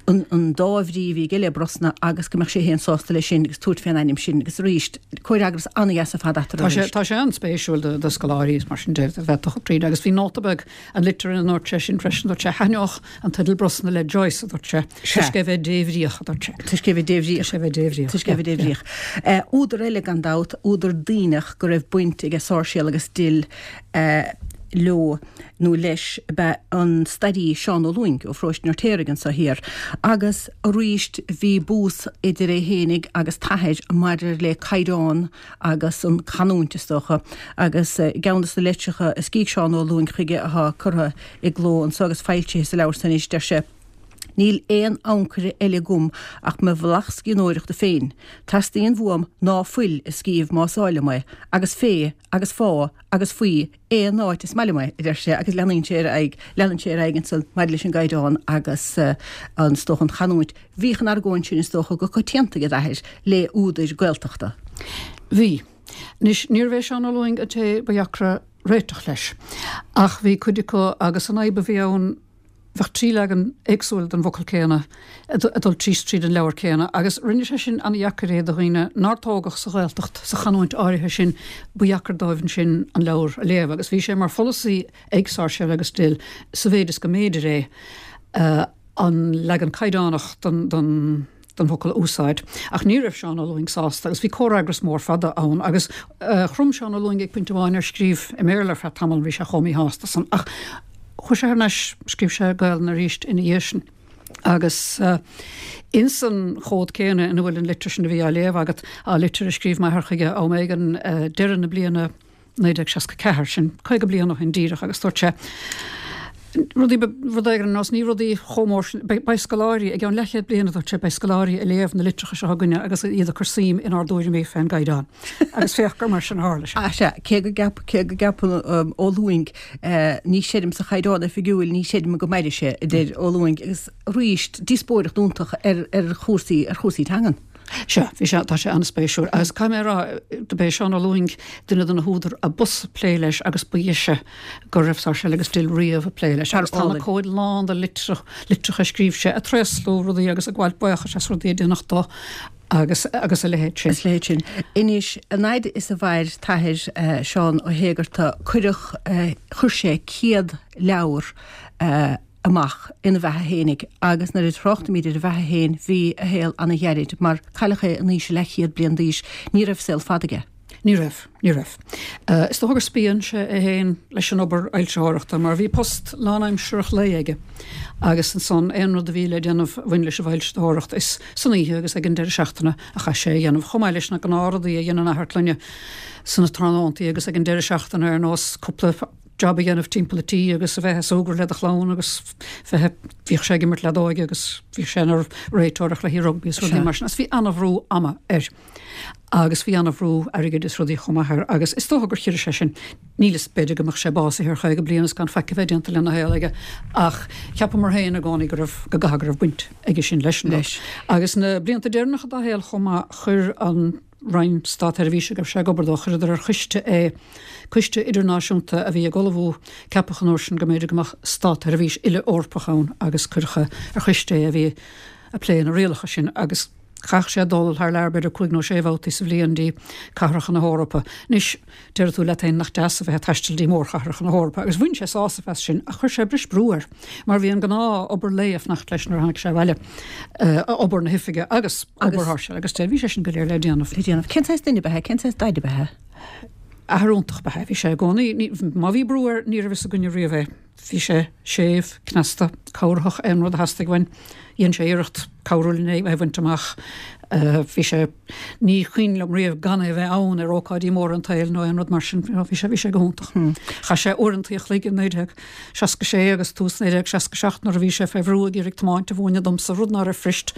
an dá bhrí a bhí aige le Brosna agus go mbeadh sé féin sásta leis sin agus tabhairt fén ainm sin agus arís, comhfhreagras an-dheas ar fad eatarthu arís. Tá sé an-spéisiúil do scoláirí is mar sin de a bheith ag tríd agus bhí nóta beag an litir ina ndúirt sé sin freisin, dúirt sé thaitneodh an teideal Brosna le Joyce, a dúirt sé, toisc é bheith débhríoch, a dúirt sé. Toisc é bheith débhríoch. Toisc é bheith débhríoch. Toisc é bheith débhríoch. Údar eile gan dabht, údar Duibhneach go raibh baint aige Sáirséal agus Dill leo nó leis ab ea an stairí Seán Ó Lúing ó Pharóiste an Fheirtéaraigh anso thiar. Agus arís bhí bús idir é fhéinig agus t'athair maidir le caighdeán agus an chanúint is dócha. Agus i gceann de na litreacha a scrígh Seán Ó Lúing chuige atá curtha i gcló anso agus foilsithe sa leabhar san anois deir sé, Níl aon ancaire eile agam ach mo bhealach scríbhneoireachta féin. Teastaíonn uaim ná fuil a scríobh más áil liom é, agus fé agus fá agus faoi aon áit is maith liom é, a deir sé, agus leanann sé ar aghaidh, leanann sé ar aghaidh ansan maidir leis an gcaighdeán agus an, is dócha, an chanúint. Bhíodh an argóint sin, is dócha, go coitianta ag d'athair le údair Gaeltachta. Bhí. Anois, níorbh é Seán Ó Lúing an té ba dheacra réiteach leis, ach bhí cuid acu agus an fhadhb a bhí ann, bheadh trí leagan éagsúil den bhfocal céanna ag dul síos tríd an leabhar céanna agus rinne sé sin an-dheacair é do dhaoine nár tógadh sa Ghaeltacht, sa chanúint áirithe sin, ba dheacair dóibh ansin an leabhar a léamh agus bhí sé mar pholasaí ag Sáirséal agus Dill, sa mhéid is go mb'fhéidir é, an leagan caighdeánach den den den bhfocal a úsáid. Ach ní raibh Seán Ó Lúing sásta agus bhí comhfhreagras mór fada ann agus chrom Seán Ó Lúing ag pointe amháin ar scríobh i mBéarla ar feadh tamaill, bhí sé chomh míshásta san. Ach chuaigh sé thar n-ais, scríobh sé Gaelainn arís ina dhiaidh sin. Agus ins an chomhad céanna ina bhfuil an litir sin a bhí á léamh agat, á litir a scríobh m'athair chuige am éigin deireadh na bliana naoi déag seasca ceathair, sin caoga bliain ó shin díreach, agus dúirt sé rudaí, rud éigin ar nós, ní rudaí chomh mór sin, beidh scoláirí, i gceann leathchéad bliain, a dúirt sé, beidh scoláirí ag léamh na litreacha seo againne agus iad ag cur suim inár dtuairimí fén gcaighdeán. Agus féach gur mar sin a tharla sé. Ah sea, cé go gceap, cé go gceapann Ó Lúing, ní chreidim sa chaighdeán oifigiúil, ní chreidim go mairfidh sé, a deir Ó Lúing, agus arís, díospóireacht iontach ar, ar chúrsaí, ar chúrsaí teangan. Sea, bhí sé, tá sé an-spéisiúil. Agus caithfidh mé a rá, do b'é Seán Ó Lúing duine de na húdair a b'fhusa plé leis agus ba dheise go raibh Sáirséal agus Dill riamh ag plé leis. Agus tá na comhaid lán de litreacha, litreacha a scríobh sé, ag tréaslú rudaí agus ag gabháilt buíochais as rudaí a deineadh dó agus, agus a leithéid sin. Is leithéid sin. Anois, an fhaid is a mhair t'athair, Seán Ó hÉigeartaigh, cuireadh, chuir sé céad leabhar amach ina bheatha fhéinig agus nuair a thráchtaimid ar a bheatha fhéin bhí a shaol ana-ghairid mar cailleadh é in aois a leathchéad bliain d'aois, ní raibh saol fada aige. Ní raibh, ní raibh. Is dócha gur spíon sé é fhéin leis an obair fhoilsitheoireachta mar bhí post lánaimsearach lae aige agus ansan aon rud a bhí le déanamh a bhain leis an bhfoilsitheoireacht is san oíche agus ag an deireadh seachtaine a chaith sé a dhéanamh chomh maith leis na gnáthrudaí a dhéanann athair clainne sna tráthnóntaí agus ag an deireadh seachtaine ar nós cúpla jab a dhéanamh timpeall an tí agus a bheith ag súgradh le do chlann agus bheith, bhíodh sé ag imirt leadóige agus bhíodh sé ina réiteoir ar chluichí rugbaí is rudaí mar sin agus bhí an-bhrú ama air agus bhí an-bhrú airgid is rudaí chomh maith air agus is dócha gur chirigh sé sin. Níl fhios, b'fhéidir go mbeadh sé básaithe ar chaoga bliain is gan faic a bheith déanta lena shaol aige ach cheapamar féin i gcónaí go raibh, go gcaithfidh go raibh baint aige sin leis an rud. Agus na blianta deireanacha dá shaol chomh maith chuir an. Roinn Státsheirbhíse go raibh sé ag obair dó, chuireadar ar choiste é, coiste idirnáisiúnta a bhí ag ullmhú, ceapadh an uair sin go mb'fhéidir go mbeadh státseirbhís uile-Eorpach ann agus cuireadh ar choiste é a bhí ag plé na rialacha sin agus chaithfeadh sé dul thar lear b'fhéidir cúig nó sé bhabhtaí sa bhliain dtí cathracha na hEorpa. Anois, deir tú leat féin nach deas a bheith ag taisteal dtí mórchathracha na hEorpa agus bhain sé sásamh as sin ach chuir sé breis brú air mar bhí an gnáth obair lae ag fanacht leis nuair a tháinig sé abhaile, obair na hoifige agus. Obair Sháirséal agus Dill, bhí sé sin go léir le déanamh. Le déanamh. Cén saghas duine ab ea é? Cén saghas daid ab ea é? Athair iontach ba ea é. Bhí sé i gcónaí, ní, má bhí brú air, ní raibh fhios againne riamh é. Bhí sé séimh, cneasta, cabhraitheach, aon rud a theastaigh uainn, dhein sé iarracht cabhrú linn é a bhaint amach. Bhí sé, ní cuimhin liom riamh gan é a bheith ann ar ócáidí móra an tsaoil nó aon rud mar sin, bhí sé, bhí sé go hiontach. Chaith sé uaireantaí a chloig in naoi déag seasca sé agus tús naoi déag seasca seacht nuair a bhí sé fé bhrú ag iarraidh tiomáint a mhúineadh domsa, rud ná raibh fuirist.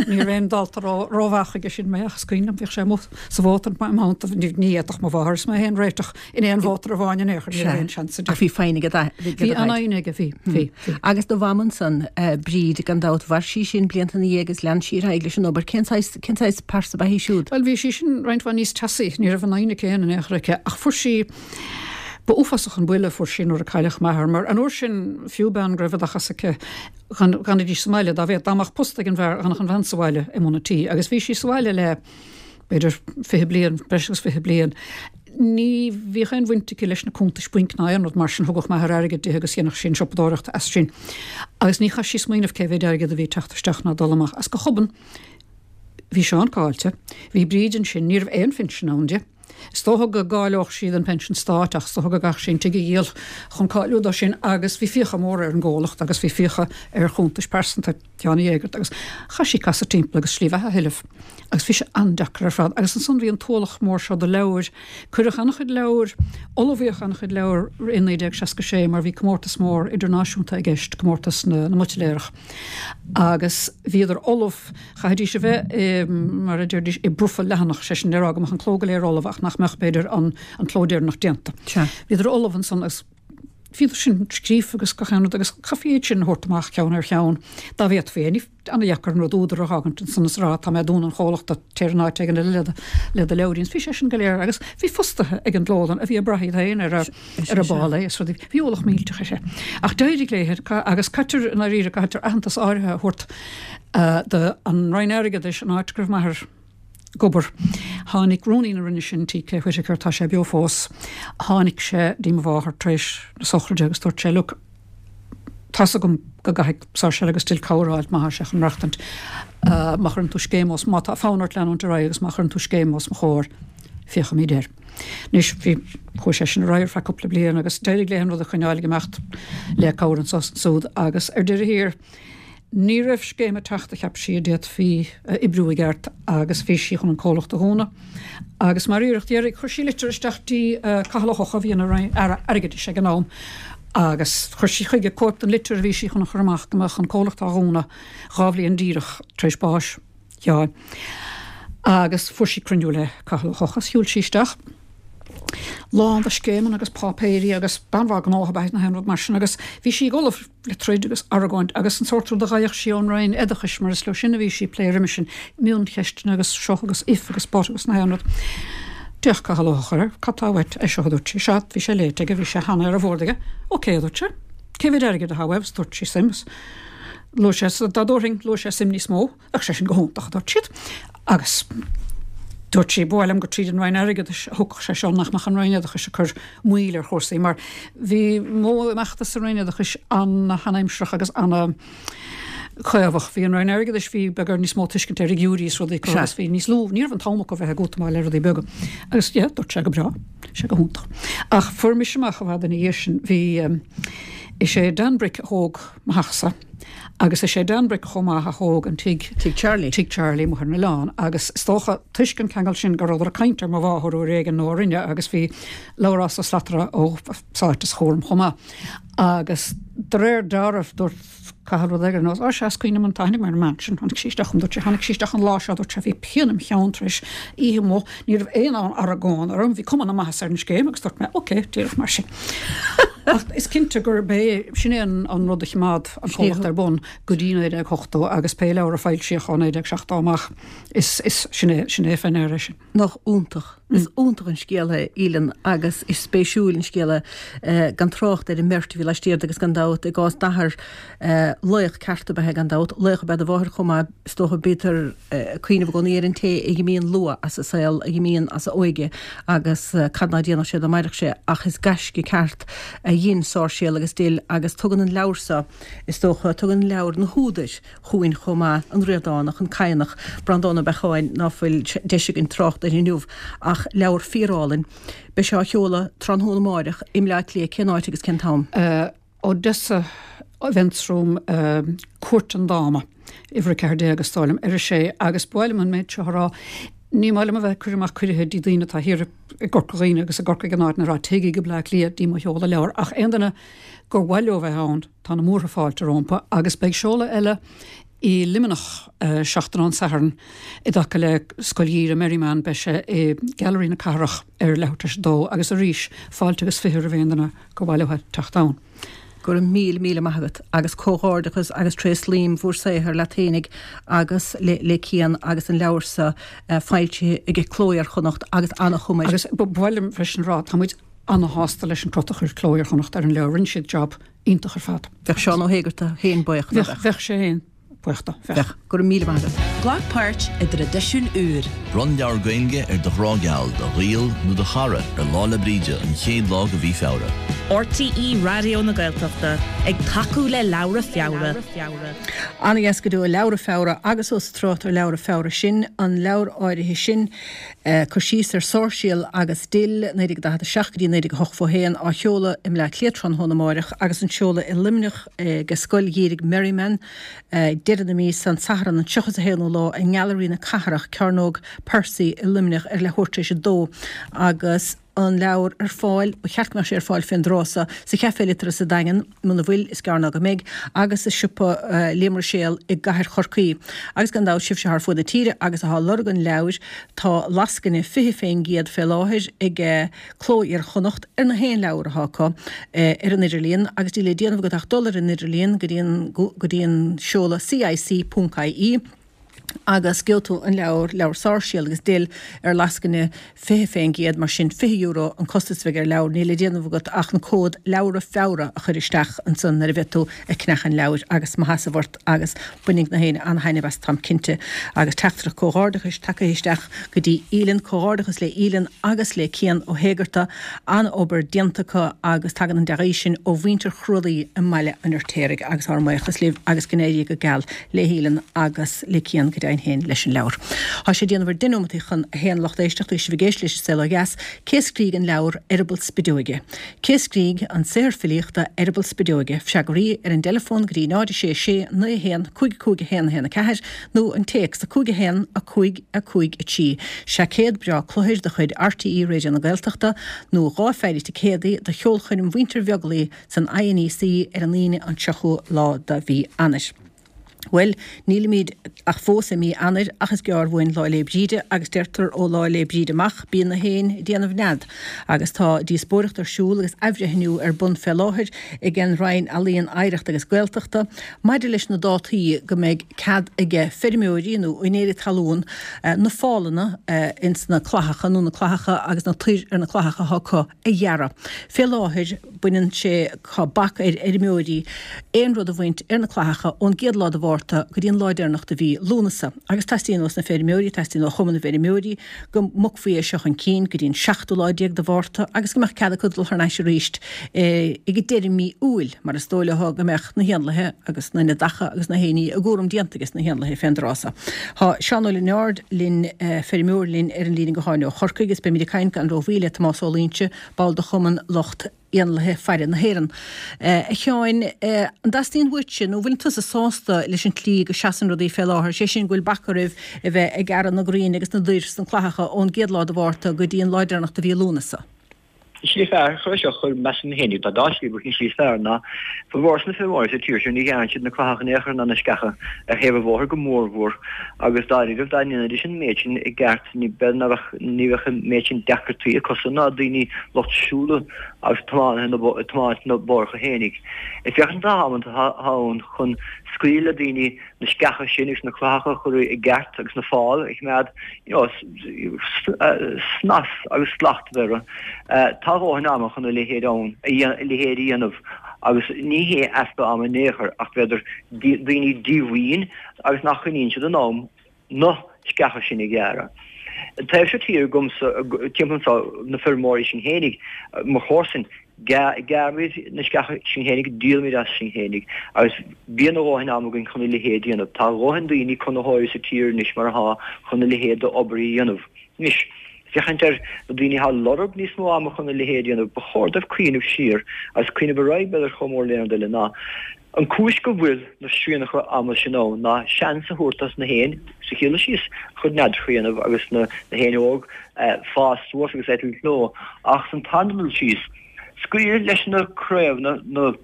Ní raibh aon dalta ró, rómhaith chuige sin mé ach is cuimhin liom bhíodh sé amuigh sa mhótar im theannta, ní fhéadfadh mo mháthair is mé féin réiteach in aon mhótar amháin in aon chor, ní raibh aon seans Ach bhí foighne aige do Bhí an-fhoighne aige, bhí, bhí, bhí. Agus do mham ansan, Bríd, gan dabht, mhair sí sin blianta ina dhiaidh agus lean sí ar aghaidh leis an obair. Cén saghas, cén saghas pearsa ba ea í siúd? Bhuel, bhí sí sin roinnt mhaith níos teasaí, ní raibh an fhoighne céanna in aon chor aici, ach fuair sí, ba uafásach an buille a fuair sí nuair a cailleadh m'athair, mar an uair sin, fiú bean go raibh oideachas aici, dhan, dh'fhanaidís sa mbaile, dá bhféad, dá mbeadh post ag an bhfear, d'fhanfadh an bhean sa bhaile i mbun an tí, agus bhí sí sa bhaile le, b'fhéidir, fiche bliain, breis agus fiche bliain. Ní bhíodh aon bhaint aici leis na cuntais bainc ná aon rud mar sin, thugadh m'athair airgead di agus dhéanadh sí an siopadóireacht as sin. Agus ní chaith sí smaoineamh cé mhéid airgead a bhí ag teacht isteach ná dul amach. Agus go hobann, bhí Seán caillte, bhí Bríd ansin, ní raibh aon phinsean ann di. Is dócha go gcáileodh sí don phension stáit ach is dócha go gcaithfeadh sí an tigh a dhíol chun cáiliú dó sin agus bhí fiacha móra ar an gcomhlacht agus bhí fiacha ar chuntais pearsanta Sheáin Uí Éigeartaigh agus chaith sí casadh timpeall agus slí bheatha a thuilleamh agus bhí sé an-deacair ar fad agus ansan bhí an t-ualach mór seo de leabhair. Cuireadh an-chuid leabhar, ullmhaíodh an-chuid leabhar i naoi déag seasca sé mar bhí comórtas mór idirnáisiúnta i gceist, comórtas na mBuitléarach agus bhíodar ullamh, chaithfidís a bheith i, mar a deiridís, i bprofa leathanach, sé sin le rá go mbeadh an cló go léir ullamh ach nach mbeadh, b'fhéidir, an an cló deireanach déanta. Bhíodar ullamh ansan agus bhíodar sin scríofa agus gach aon rud agus chaithfí iad sin a thabhairt amach ceann ar cheann dá bhféadfaí é. Ní an-dheacair an rud údar a fhágaint ansan is a rá tá mé ag dúnadh an chomhlachta, téir in áit éigin eile le do le do leabhairín. Bhí sé sin go léir agus bhí fostaithe ag an gclólann a bhí ag brath iad féin ar a ar a bpá lae is rudaí. Bhí ualach millteach uirthi. Ach d'éirigh léi agus caitear i ndáiríre caitear aitheantas áirithe a thabhairt do an Roinn Airgeadais an áit go raibh m'athair ag obair. Tháinig rúnaí na Roinne sin, T K Whitaker, tá sé beo fós, tháinig sé dtí mo mháthair tar éis na sochraide agus dúirt sé, look, tá's agam go gcaithfidh Sáirséal agus Dill cabhair a fháilt má tá sé chun maireachtaint, má chuireann tú scéim os, má tá fonn ort leanúint ar aghaidh agus má chuireann tú scéim os mo chomhair, féachfaimid air. Anois, bhí, chuaigh sé sin ar aghaidh ar feadh cúpla bliain agus d'éirigh léi an rud a choinneáil ag imeacht le cabhair anso is ansúd agus ar deireadh thiar, Ní raibh scéim ag teacht a cheap sí a d'fhéadfaí a oibriú i gceart agus bhí sí chun an comhlacht a dhúnadh. Agus mar iarracht dheiridh chuir sí litir isteach dtí Cathal Ó hEochaidh, a bhí ina Aire Airgeadais ag an am, agus chuir sí chuige cóip den litir a bhí sí chun a chur amach go mbeadh an comhlacht á dhúnadh dhá bhliain díreach tar éis báis Sheáin. Agus fuair sí cruinniú le Cathal Ó hEochaidh. Shiúil sí isteach lán de scéimeanna agus páipéirí agus bean mhaith gnótha ab ea í nach aon rud mar sin agus bhí sí ullamh le troid agus argóint agus an sórt rud a gheibheadh sí ón Roinn Oideachais mar is leo sin a bhí sí ag plé roimhe sin, mioncheisteanna agus seo agus if agus but agus nach aon rud. D'fhéach Cathal Ó hEochaidh uirthi, cad tá uait? É seo a dúirt sí. Sea, bhí sé léite aige, bhí sé cheana ar an bhord aige. Ok, a dúirt sé. Cé mhéad airgid atá uaibh? Dúirt sí suim. Luaigh sé, dá dtabharfainn, luaigh sé suim níos mó. Bheadh sé sin go hiontach, a dúirt siad. Agus dúirt sí, ba mhaith liom gur tríd an Roinn Airgeadais a thiocfadh sé seo, nach mbeadh an Roinn Oideachais ag cur moill ar chúrsaí, mar bhí modh imeachta sa Roinn Oideachais ana-sheanaimsearach agus ana-chaomhach. Bhí an Roinn Airgeadais, bhí beagán níos mó tuiscint ar fhigiúirí is rudaí acu agus bhí níos lú, ní raibh an t-am acu bheith ag útamáil le rudaí beaga. Agus yeah, dúirt sé go breá, sé go hiontach. Ach fuair mise amach i bhfad ina dhiaidh sin, bhí, is é Dan Brick a thóg mo theachsa, Agus is é Dan Brick chomh maith a thóg an tigh, Tigh Charlie. Tigh Charlie amuigh ar an oileán. Agus is dócha, toisc an ceangal sin, go rabhadar ag caint ar mo mháthair uair éigin nó a rinne agus bhí Labhrás Ó Slatara ó Sáite sa chúram chomh maith. Agus de réir dealraimh, dúirt Cathal rud éigin ar nós, Á sea, is cuimhin liom an tháinig mé ar an mbean sin, tháinig sí isteach chugam, dúirt sé, tháinig sí isteach an lá seo, dúirt sé, bhí pian im cheann tar éis oíche amuigh, ní raibh aon argóint orm, bhí cuma na maitheasa ar an scéim agus dúirt mé, ok, díreach mar sin. Ach is cinnte gurb é, sin é an rud a choimeád an comhlacht ar bun go dtí naoi déag ochtó agus pé leabhar a foilsíodh ó naoi déag seachtó amach, is, is, sin é, sin é fé ndeara é sin. Nach iontach. Is iontach an scéal é, Aoileann, agus is spéisiúil an scéal é, gan trácht ar an mbeirt a bhí laistiar de agus gan dabht i gcás d'athar, laoch ceart ab ea é gan dabht, laoch ab ea do mháthair chomh maith, is dócha, bítear ag cuimhneamh i gcónaí ar an té a dh'imíonn luath as an saol, a dh'imíonn as a óige agus cad ná déanfadh sé dá mairfeadh sé ach is gaisce ceart a a dhein Sáirséal agus Dill agus tugann an leabhar so, is dócha, tugann an leabhar na húdair chugainn chomh maith, an Ríordánach, an Cadhnach, Breandán Ó Beacháin, ná fuil deis againn trácht air inniu, ach leabhar fíorálainn. Beidh sé á sheoladh tráthnóna amáireach i mBleá Cliath, cén áit agus cén t-am? Odessa Events Room, Cúirt an Dáma, uimhir a ceathair déag, is dóigh liom, ar a sé, agus ba mhaith liom an méid seo a rá, ní maith liom a bheith ag cur amach cuirithe dtí daoine atá thiar i gCorca Dhuibhne agus i gCorcaigh in áiteanna a rá téigí go Bleá Cliath dtí mo sheoladh leabhar, ach aon duine gur mhaith leo bheith ann, tá na múrtha fáilte rompu, agus beidh seoladh eile i Luimneach seachtain ón Satharn i dtaca le Scoil Gheimhridh Merriman, beidh sé i Gailearaí na Cathrach ar leathuair tar éis a dó agus arís fáilte agus fiche roimh aon duine gur mhaith leo teacht ann. Go raibh míle míle maith agat agus comhghairdeachas agus tréaslaím bhur saothar leat fhéinig agus le le Cian agus an leabhar so foilsithe ag Cló Iar-Chonnacht agus ana-chuma air. Agus ba mhaith liom freisin a rá, tá muid ana-shásta leis an crot a chuir Cló Iar-Chonnacht ar an leabhar, rinne siad job iontach ar fad. Bheadh Seán Ó hÉigeartaigh féin buíoch, nach mbeadh? Bheadh sé féin buíoch de, bheadh. Bheadh. Go raibh míle maith agat. Glac páirt i dtraidisiún úr. Bronn leabhar Gaeilge ar do ghrá geal, do ghaol nó do chara ar Lá 'le Bríde, an chéad lá de mhí Feabhra. RTÉ Raidió na Gaeltachta ag tacú le Leabhra Feabhra. Ana-dheas go deo Leabhra Feabhra agus ós ag trácht ar Leabhra Feabhra sinn, an leabhar áirithe sin, cur síos ar Sáirséal agus Dill, naoi déag daichead a seacht go dtí naoi déag a hochtó a haon, á sheoladh i mBleá Cliath tráthnóna amáireach agus an seoladh i Luimneach ag Scoil Gheimhridh Merriman deireadh na míosa, an Satharn an tríocha is a haonú lá i nGailearaí na Cathrach, Cearnóg Percy i Luimneach ar leathuair tar éis a dó agus an leabhar ar fáil, ba cheart go mbeadh sé ar fáil fén dtráth so, sa Chaifé Liteartha sa Daingean, muna bhfuil, is gearr ná go mbeidh, agus i siopa Liam Ruiséal i gcathair Chorcaí. Agus gan dabht, sibhse thar fuaid na tíre agus atá ag lorg an leabhair, tá lascaine fiche fén gcéad fé láthair ag Cló Iar-Chonnacht ar na haon leabhar atá acu ar an idirlíon agus níl le déanamh agat ach dul ar an idirlíon go dtí an go dtí an seoladh C I C ponc I E agus gheobhaidh tú an leabhar, leabhar Sáirséal agus Dill ar lascaine fiche fén gcéad, mar sin fiche euro an costas a bheidh ar leabhar, níl le déanamh agat ach an cód Leabhra Feabhra a chur isteach ansan nuair a bheidh tú ag ceannach an leabhair agus maitheas ort agus bainfidh na héinne an-thaitneamh as, táim cinnte. Agus teachtaireacht comhghairdeachais tagtha isteach go dtí Aoileann, comhghairdeachas le Aoileann agus le Cian Ó hÉigeartaigh, an-obair déanta acu agus tagann an dea-ghuí sin ó mhuintir Chrualaoi i mBaile an Fheirtéaraigh agus ár mbuíochas libh agus go n-éirí go geal le hAoileann agus le Cian go deimhin féin leis an leabhar. Tá sé ag déanamh ar deich nóimeataí chun a haon lucht éisteachta agus sibh ag éisteacht leis an Saol Ó Dheas, cé a scrígh an leabhar Eireaball Spideoige? Cé a scrígh an saothar filíochta Eireaball Spideoige? Freagraí ar an dteileafón go dtí náid a sé sé naoi a haon cúig cúig a haon a haon a ceathair nó an téacs a cúig a haon a cúig a cúig a trí. Seaicéad breá cluthair de chuid R T É Raidió na Gaeltachta nó dhá pheidhre ticéadaí do cheolchoirm Mhuintir Bheaglaoich san I N E C ar an Aoine an tríochú lá de mhí Eanáir. Bhuel, nílimid ach fós i mí Eanáir ach is gearr uainn Lá 'le Bríde agus deirtear ó Lá 'le Bríde amach bíonn na héin ag déanamh nead agus tá díospóireacht ar siúl agus athbhreithniú ar bun fé láthair ag an Roinn Ealaíon, Oidhreachta agus Gaeltachta maidir leis na dátaí go mbeidh cead aige feirmeoirí nó úinéirí talún na fálanna ins na clathacha nó na clathacha agus na toir ar na clathacha atá acu a ghearradh. Fé láthair baineann sé, tá bac ar fheirmeoirí aon rud a bhaint ar na clathacha ón gcéad lá de Mhárta go dtí an lá deireanach de mhí Lúnasa. Agus teastaíonn ós na feirmeoirí, teastaíonn ó Chumann na bhFeirmeoirí go mbogfaí é seo chun cinn go dtí an seachtú lá déag de Mhárta agus go mbeadh cead acu dul thar n-ais arís ag deireadh mí Iúil mar is dóigh leo go mbeadh na héanlaithe agus na neadacha agus na héiní a gcúram déanta ages na héanlaithe fén dtráth so. Tá Seán Ó Lionáird linn, feirmeoir linn ar an líne gutháin ó Chorcaigh agus beimid ag caint gan rómhoill le Tomás Ó Loingsigh, ball de Chumann Lucht Éanlaithe Faire na hÉireann. A Sheáin, an dteastaíonn uaitse, nó bhfuil tusa sásta leis an tslí go seasann rudaí fé láthair, sé sin go bhfuil bac oraibh a bheith ag gearradh na gcrainn agus na dtoir sna clathacha ón gcéad lá de Mhárta go dtí an lá deireanach de mhí Lúnasa? An tslí fearr chun é seo a chur, measaim féinig, tá dhá shlí ach an tslí is fearr ná formhór na feirmeoirí sa tír seo ní ghearrann siad na clathacha in aon chor ná na sceacha ar thaobh an bhóthair go mórmhór agus dáiríribh dá ndéanfaidís an méid sin i gceart ní b'fhéidir ná bheadh ní bheadh an méid sin deacrachtaí acusan ná daoine lucht siúla agus tiománaithe na tiomáint na bóithre féinig. Ag féachaint an t-am atá ann chun scaoileadh le daoine na sceacha sin agus na clathacha a chur i gceart agus na fáil a choimeád you know snas agus slacht a bheith orthu. Tá a dhóthain ama chun a leithéid ann, a leithéid a dhéanamh agus ní hé easpa ama in aon chor ach b'fhéidir daoine díomhaoin agus nach choinníonn siad in am na sceacha sin a ghearradh. An taobh seo tíre agamsa, timpeall anseo, na feirmeoirí sinn fhéinig, mo chomharsain, gearraimid na sceacha sinn fhéinig, díolaimid as sinn fhéinig agus bíonn a dhóthain ama againn chun a leithéid a dhéanamh. Tá a dhóthain daoine, conaitheoirí sa tír anois mar atá chun a leithéid d'obair a dhéanamh. Anois, féachaint ar na daoine atá ag lorg níos mó ama chun a leithéid a dhéanamh, ba chóir dóibh cuimhneamh siar agus cuimhneamh ar aghaidh b'fhéidir chomh mór le aon rud eile ná An cúis go bhfuil na srianacha ama sin ann ná seans a thabhairt dos na héin, sa chéad dul síos, a chuid neadacha a dhéanamh agus na héin óg fás suas agus eitilt leo. Ach san tarna dul síos, scaoil leis na craobhanna, na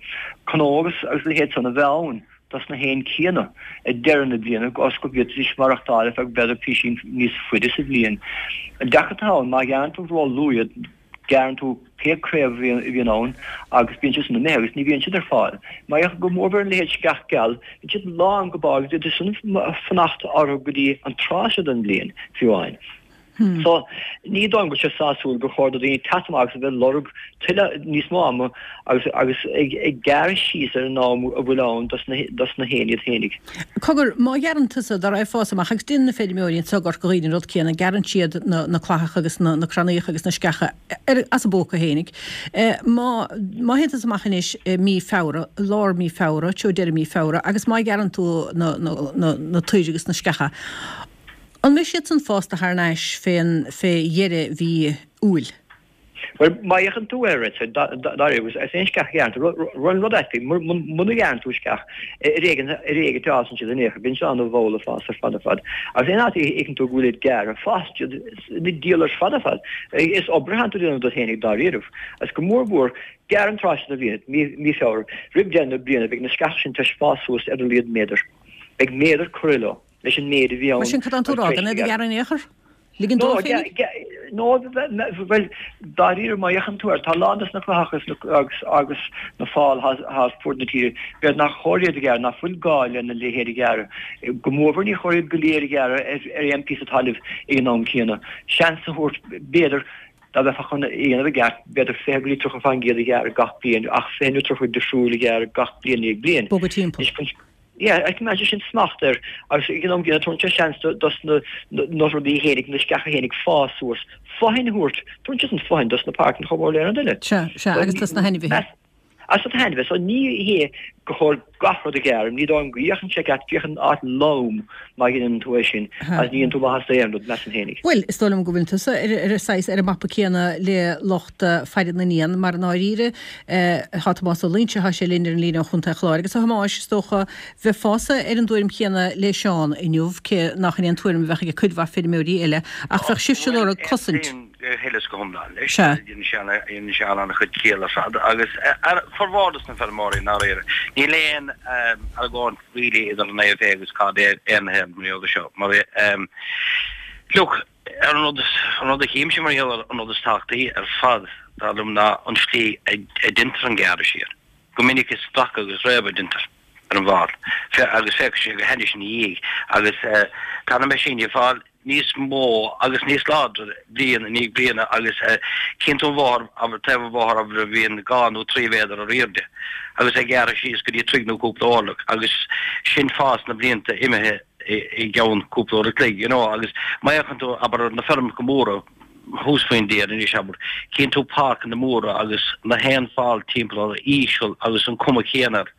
cnó agus a leithéid san a bheith ann dos na héin céanna ag deireadh na bliana agus go bhféadfaidís maireachtáil ar feadh b'fhéidir písín níos faide sa bhliain. An deacracht atá ann, má ghearrann tú ró-luath iad, Gearrann tú pé craobh a bhíonn ann agus bíonn siad san imithe agus ní bhíonn siad ar fáil. Mar go mór mhór a leithéid sceach geal, bíonn siad lán go barr agus d'fhéadfaí san fanacht orthu go dtí an tráth seo den bhliain, fiú amháin. So, ní dóigh liom go bhfuil sé sásúil gur chóir do dhaoine teacht amach agus a bheith ag lorg tuilleadh níos mó ama agus agus ag ag gearradh síos ar an am a bhfuil ann dos na dos na héin iad fhéinig. Cogar, má ghearrann tusa, dá raibh fás amach, agus déanann na feirmeoirí anseo i gCorca Dhuibhne an rud céanna, gearrann siad na na clathacha agus na na crannaíocha agus na sceacha ar, as a bpóca fhéinig. Má, má théann tusa amach anois i mí Feabhra, lár mí Feabhra, treo deireadh mí Feabhra, agus má ghearrann tú na, na, na, na toir agus na sceacha, an mbeidh siad san fásta thar n-ais fén, fé dheireadh mhí Iúil? Bhuel, má fhéachann tú air, dáiríre, agus aon sceach a ghearrann tú, rud rud ait, muna ghearrann tú sceach, ar éigean ar éigean a fhásann siad in aon chor, bíonn siad ana-mhall ag fás ar fad ar fad. Agus aon áit a fheiceann tú go bhfuil iad gearrtha, fásann siad ina diabhal ar fad ar fad. Is obair atánn tú a dhéanamh duit féinig dáiríribh. Agus go mór mhór, gearr an tráth seo den bhliain, mí mí Feabhra, roimh deireadh na bliana, beidh na sceacha sin tar éis fás suas ar a laghad méadar. Beidh méadar curtha leo, leis an méid a bhí ann. Mar sin, cad tá tú a rá, gan iad a ghearradh in aon chor? Ligean No, dóibh féinig? no, bhuel, dáiríre, má fhéachann tú air, tá a lán dos na clathacha agus agus na fáil atá fuaid na tíre, b'fhéidir nach chóir iad a ghearradh, nach bhfuil gá lena leithéid a ghearradh. Go mórmhór ní chóir iad go léir a ghearradh ar aon phíosa talaimh ag an am céanna. Seans a thabhairt, b'fhéidir, dá mbeifeá chun é a dhéanamh i gceart, b'fhéidir fiche go dtí tríocha faoin gcéad a ghearradh gach bliain, ach fiche nó tríocha difriúil a ghearradh gach bliain i ndiaidh bliain. Bogadh timpeall. Yeah, coimeádann sé sin smacht air agus ag an am gcéanna tabharann sé seans dos na na rudaí fhéinig, na sceacha fhéinig fás suas, fothain a thabhairt, tabharann sé sin fothain dos na páirceanna chomh mór le aon rud eile. Sea, sea, agus dos na hainmhithe. Agus dos na hainmhithe, so ní hé gur chóir gach rud a ghearradh, ní dóigh liom go bhféachann sé ceart, féach an áit lom má dheineann tú é sin agus ní dhéanann tú maitheas d'aon rud, measaim fhéinig. Bhuel, is dóigh liom go bhfuil tusa ar ar saghas ar an mapa céanna le lucht faire na n-éan, mar i ndáiríre, Tá Tomás Ó Loingsigh, tá sé linn ar an líne ó Chontae an Chláir. Agus a Thomáis, is dócha, bheifeása ar an dtuairim chéanna le Seán inniu, cé nach in é an tuairim a bheadh ag cuid mhaith feirmeoirí eile, ach bheadh sibhse ag lorg cosaint. Aontaím go huile is go hiomlán leis. Sea. Dhein Seán an-chuid ciall ar fad agus formhór dos na feirmeoirí i ndáiríre. Níl aon argóint really idir an IFA agus KD aon mar gheall air seo. Mar look, Ar an rud, an rud a chímse mar gheall ar an rud is tábhachtaí ar fad, dar liom, ná an tslí a deintear an gearradh siar. Go minic is stracadh agus réabadh a deintear ar an bhfál, agus féachann sé go hainnis ina dhiaidh, agus tá na meaisíní ag fáil níos mó agus níos láidre bliain i ndiaidh bliana agus cíonn tú an bhóthar, abair, taobh an bhóthair, abair, a bhíonn dhá nó trí mhéadar ar airde agus é gearrtha síos go dtí troigh nó cúpla orlach agus sin fás na blianta imithe. i gceann cúpla uair a chloig, you know, agus má fhéachann tú, abair, ar na feirmeacha móra thuas faoin dtír anois, abair, cíonn tú páirceanna móra agus na haon fál timpeall orthu íseal agus an cuma chéanna air.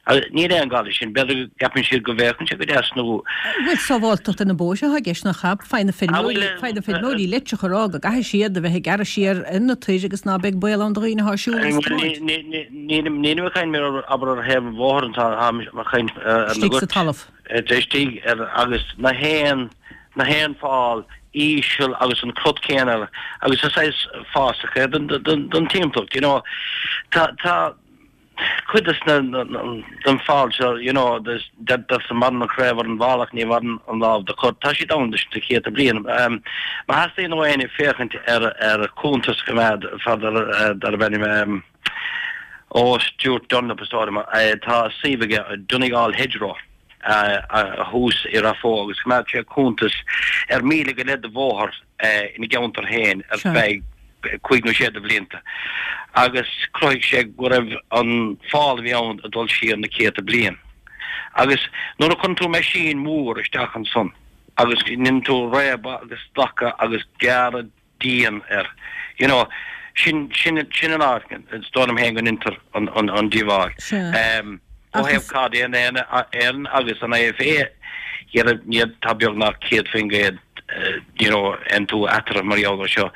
Agus níl aon gá leis sin, b'fhéidir go gceapann siad go bhféachann sé go deas nó. Bhuel, sábháilteacht ar na bóithre atá i gceist, nach ea? Faigheann na feirmeoirí, faigheann na feirmeoirí leitreacha a rá go gcaithfidh siad a bheith ag gearradh siar ar na toir agus ná beidh baol ann do dhaoine atá ag siúl agus ag tiomáint. Nílim ag caint mar, abair, ar thaobh an bhóthair anseo, táim ag caint ar na Istigh sa talamh. istigh ar agus na haon na haon fál íseal agus an crot céanna agus is saghas fásach é don don don timpeallacht you know tá tá cuid des na den fál seo you know des deirtear maireann an chraobh ar an bhfál ach ní mhaireann an lámh dá cur tá siad ann leis na céadta bliain má theastaíonn ó éinne féachaint ar ar cuntas a choimeád fear darb ainm ó Stuart Dunlop is dóigh liom tá suíomh aige Donegal Hedgerow thuas i Rath Bhoth agus choimeád sé cuntas ar míle go leith de bhóthar ina gceantar féin ar feadh cúig nó sé de bhlianta agus chruthaigh sé go raibh an fál a bhí ann ag dul siar na céadta bliain. Agus nuair a chuireann tú meaisín mór isteach ansan, agus ndéanann tú réabadh agus stacadh agus gearradh dian air. You know, sin sin sin an áit, is dóigh liom féin go ndéantar an an an díobháil. Um, ó thaobh Caid Éireann agus an IFA, dhera níl tá beagnach céad faoin gcéad you know, aontú eatarthu mar gheall air seo.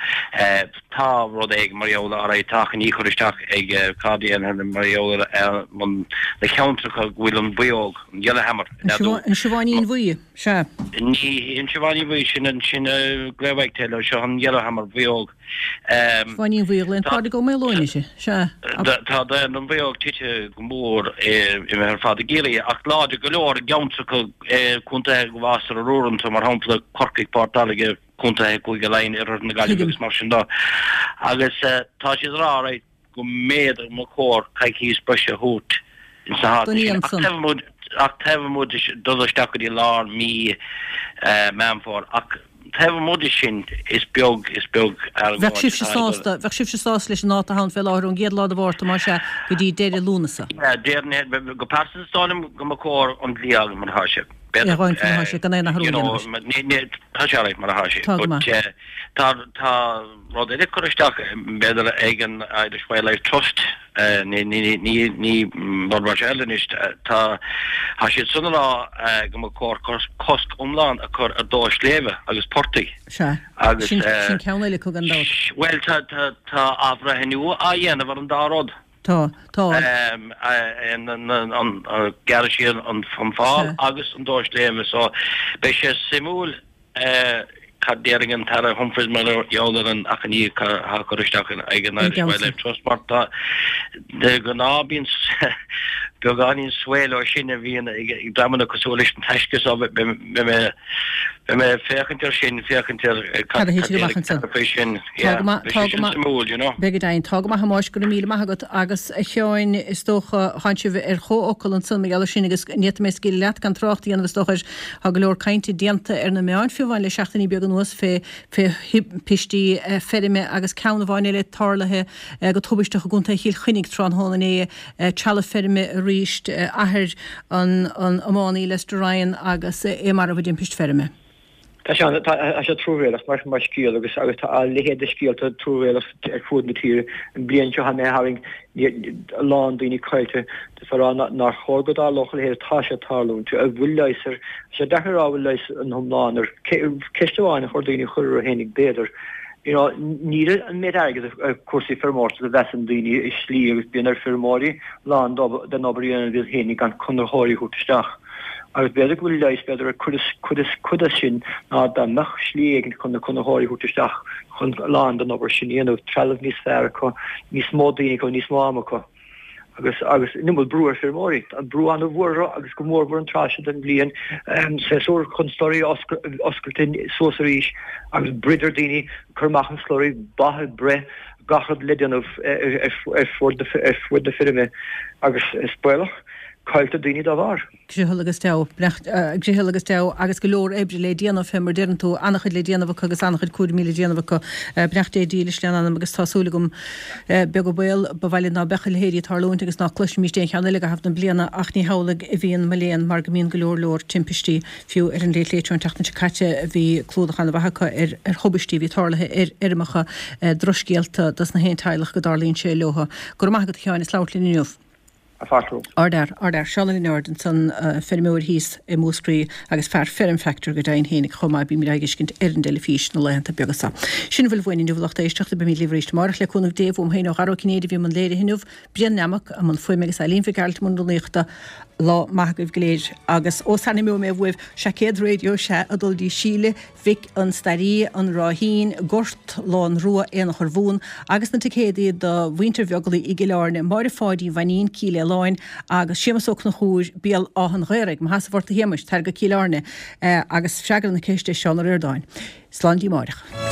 Tá rud éigin mar gheall ar é, tá achainí curtha isteach ag Caid Éireann mar gheall ar na ceantracha go bhfuil an bhuíóg, an yellowhammer, An siobháinín bhuí, sea. Ní an siobháinín bhuí, sin an sin grey wagtail, seo an yellowhammer bhuíóg. Siobháinín bhuí, glaonn Pádraig Ó Maoileoin uirthi, sea. Tá daonra na mbuíóg tite go mór imithe ar fad i gCiarraí, ach láidir go leor i gceantracha contaetha go bhfástar arúr iontu, mar shampla Corcaigh, Port Láirge, contaetha Cúige Laighean, oirthear na Gaillimhe agus mar sin de. Agus tá siad ag rá right go mb'fhéidir go mba chóir coicís breise a thabhairt ins na háiteanna sin. Ach taobh amuigh de dul isteach go dtí lár mí Meán Fómhair ach taobh amuigh de sin is beag is beag Bheadh argóint sibhse atá ag dul. sásta, bheadh sibhse sásta leis an dáta atá ann fé láthair ón gcéad lá de Mhárta más ea go dtí deireadh Lúnasa. Déarfainn go pearsanta is dóigh liom go mba chóir an dlí a fhágáil mar atá sé. É a fhágaint mar atá sé gan aon athrú a dhéanamh air. Tá sé alright mar atá sé. Tá go maith. But tá tá rud eile curtha isteach b'fhéidir ag an Irish Wildlife Trust ní ní ní ní rud mar seo eile anois tá tá siad san ag rá go mba chóir cosc iomlán a chur ar dó sléibhe agus portaigh. Sea. Agus Sin sin ceann eile acu gan dabht. Bhuel tá tá tá athbhreithniú á dhéanamh ar an dá rud. Tá, tá. An gearradh siar an fál agus an dó sléibhe so beidh sé suimiúil cad déarfaidh an tAire Humphreys mar gheall ar an achainí atá curtha isteach ag an Irish Wildlife Trust mar tá de ghnáth bíonn beagáinín svae leo sin a bhíonn ag dreamanna cosúil leis an Taisce so beidh mé Beidh mé ag féachaint air sin, féachaint ar cad a thitfidh amach ansan. faoi sin. Tá go maith, Beidh tá sé go sin maith. suimiúil, you know. Beidh go deimhin. Tá go maith a Thomáis, go raibh míle maith agat. Agus a Sheáin, is dócha, thánn sibh ar chomhfhocal ansan mar gheall air sin agus ní fhéadfaidh mé scaoileadh leat gan trácht a dhéanamh is dócha air. Tá go leor cainte déanta ar na meáin fiú amháin le seachtainí beaga anuas fé fé thimpistí feirme agus ceann amháin eile tarlaithe go tubaisteach i gContae Chill Chainnigh tráthnóna inné, trealamh feirme arís, athair an an iománaí Lester Ryan agus é marbh i dtimpist feirme. Tá sé tá sé truamhéalach mar mar scéal agus agus tá a leithéid de scéalta truamhéalach ar fud na tíre. An bliain seo tháinig tharraing a lán daoine caillte is a rá nár chóir go dtarlódh a leithéid tá sé ag tarlúint. An bhfuil leigheas air? Tá sé deacair a rá an bhfuil leigheas an iomlán air. Ceist amháin a chuir daoine a chur orthu féinig b'fhéidir. You know, níl an méid airgid ar cúrsaí feirmeoireachta a mheasann daoine i slí agus bíonn ar feirmeoirí lán den obair a dhéanamh iad féinig gan conraitheoirí a thabhairt isteach. Agus b'fhéidir go bhfuil leigheas, b'fhéidir ar cuid, cuid, cuid as sin ná dá mbeadh slí éigin chun na conraitheoirí a thabhairt isteach chun a lán den obair sin a dhéanamh, trealamh níos fearr acu, níos mó daoine acu, níos mó ama acu. Agus agus an iomad brú ar feirmeoirí. Tá an brú an-mhór orthu agus go mór mhór an tráth seo den bhliain, séasúr chun slurry a oscailt suas arís agus broid ar daoine cur amach an slurry, ba ag breith, gach rud le déanamh ar fud na feirme agus is baolach. Cailltear daoine dá bharr. Griothal agus deabhadh. Griothal agus deabhadh agus go leor oibre le déanamh, fé mar deireann tú, an-chuid le déanamh acu agus an-chuid cúraimí le déanamh acu. Beannacht Dé dílis lena n-anam agus tá súil agam, beag an baol, ba mhaith linn ná beadh a leithéidí ag tarlúint agus ná cloisfimís aon cheann eile i gcaitheamh na bliana ach ní hamhlaidh a bhíonn mo léan mar go mbíonn go leor leor timpistí fiú ar an Late Late Show an tseachtain seo caite bhí clúdach an-mhaith acu ar ar thubaistí a bhí tarlaithe ar fheirmeacha, drochscéalta dos na haon teaghlach go dtarlaíonn sé leo. Go raibh maith agat a Sheáin as labhairt linn inniu. Ardfhear, ardfhear. Seán Ó Lionáird ansan, feirmeoir thíos i Múscraí agus fear Feirm Factor go deimhin fhéinig chomh maith, bímid á fheiscint ar an dteilifís na laethanta beaga seo. Sin a bhfuil uainn inniu a lucht éisteachta, beimid libh arís amárach le cúnamh Dé, uaim féin ó Dhara Ó Cinnéide a bhí i mbun léirithe inniu, Brian Nammock i mbun fuaime agus Eileen Mhic Gearailt i mbun rúnaíochta. Lá maith agaibh go léir agus ó sara n-imeoidh mé uaibh, seaicéad raidió sea ag dul dtí Síle Mhic an Stairí, An Ráithín, Gort Lon Rua, Aonach Urmhumhan, agus na ticéadaí do Mhuintir Bheaglaoich i gCill Airne, Máire Pháidí Mhainín, Cill Fhaoláin, agus Séamus Ó Conchúir, Béal Átha an Ghaorthaidh. Má sheasamh ort a Shéamuis, tar go Cill Airne agus freagair na ceiste Seán Ó Ríordáin. Slán dtí amáireach.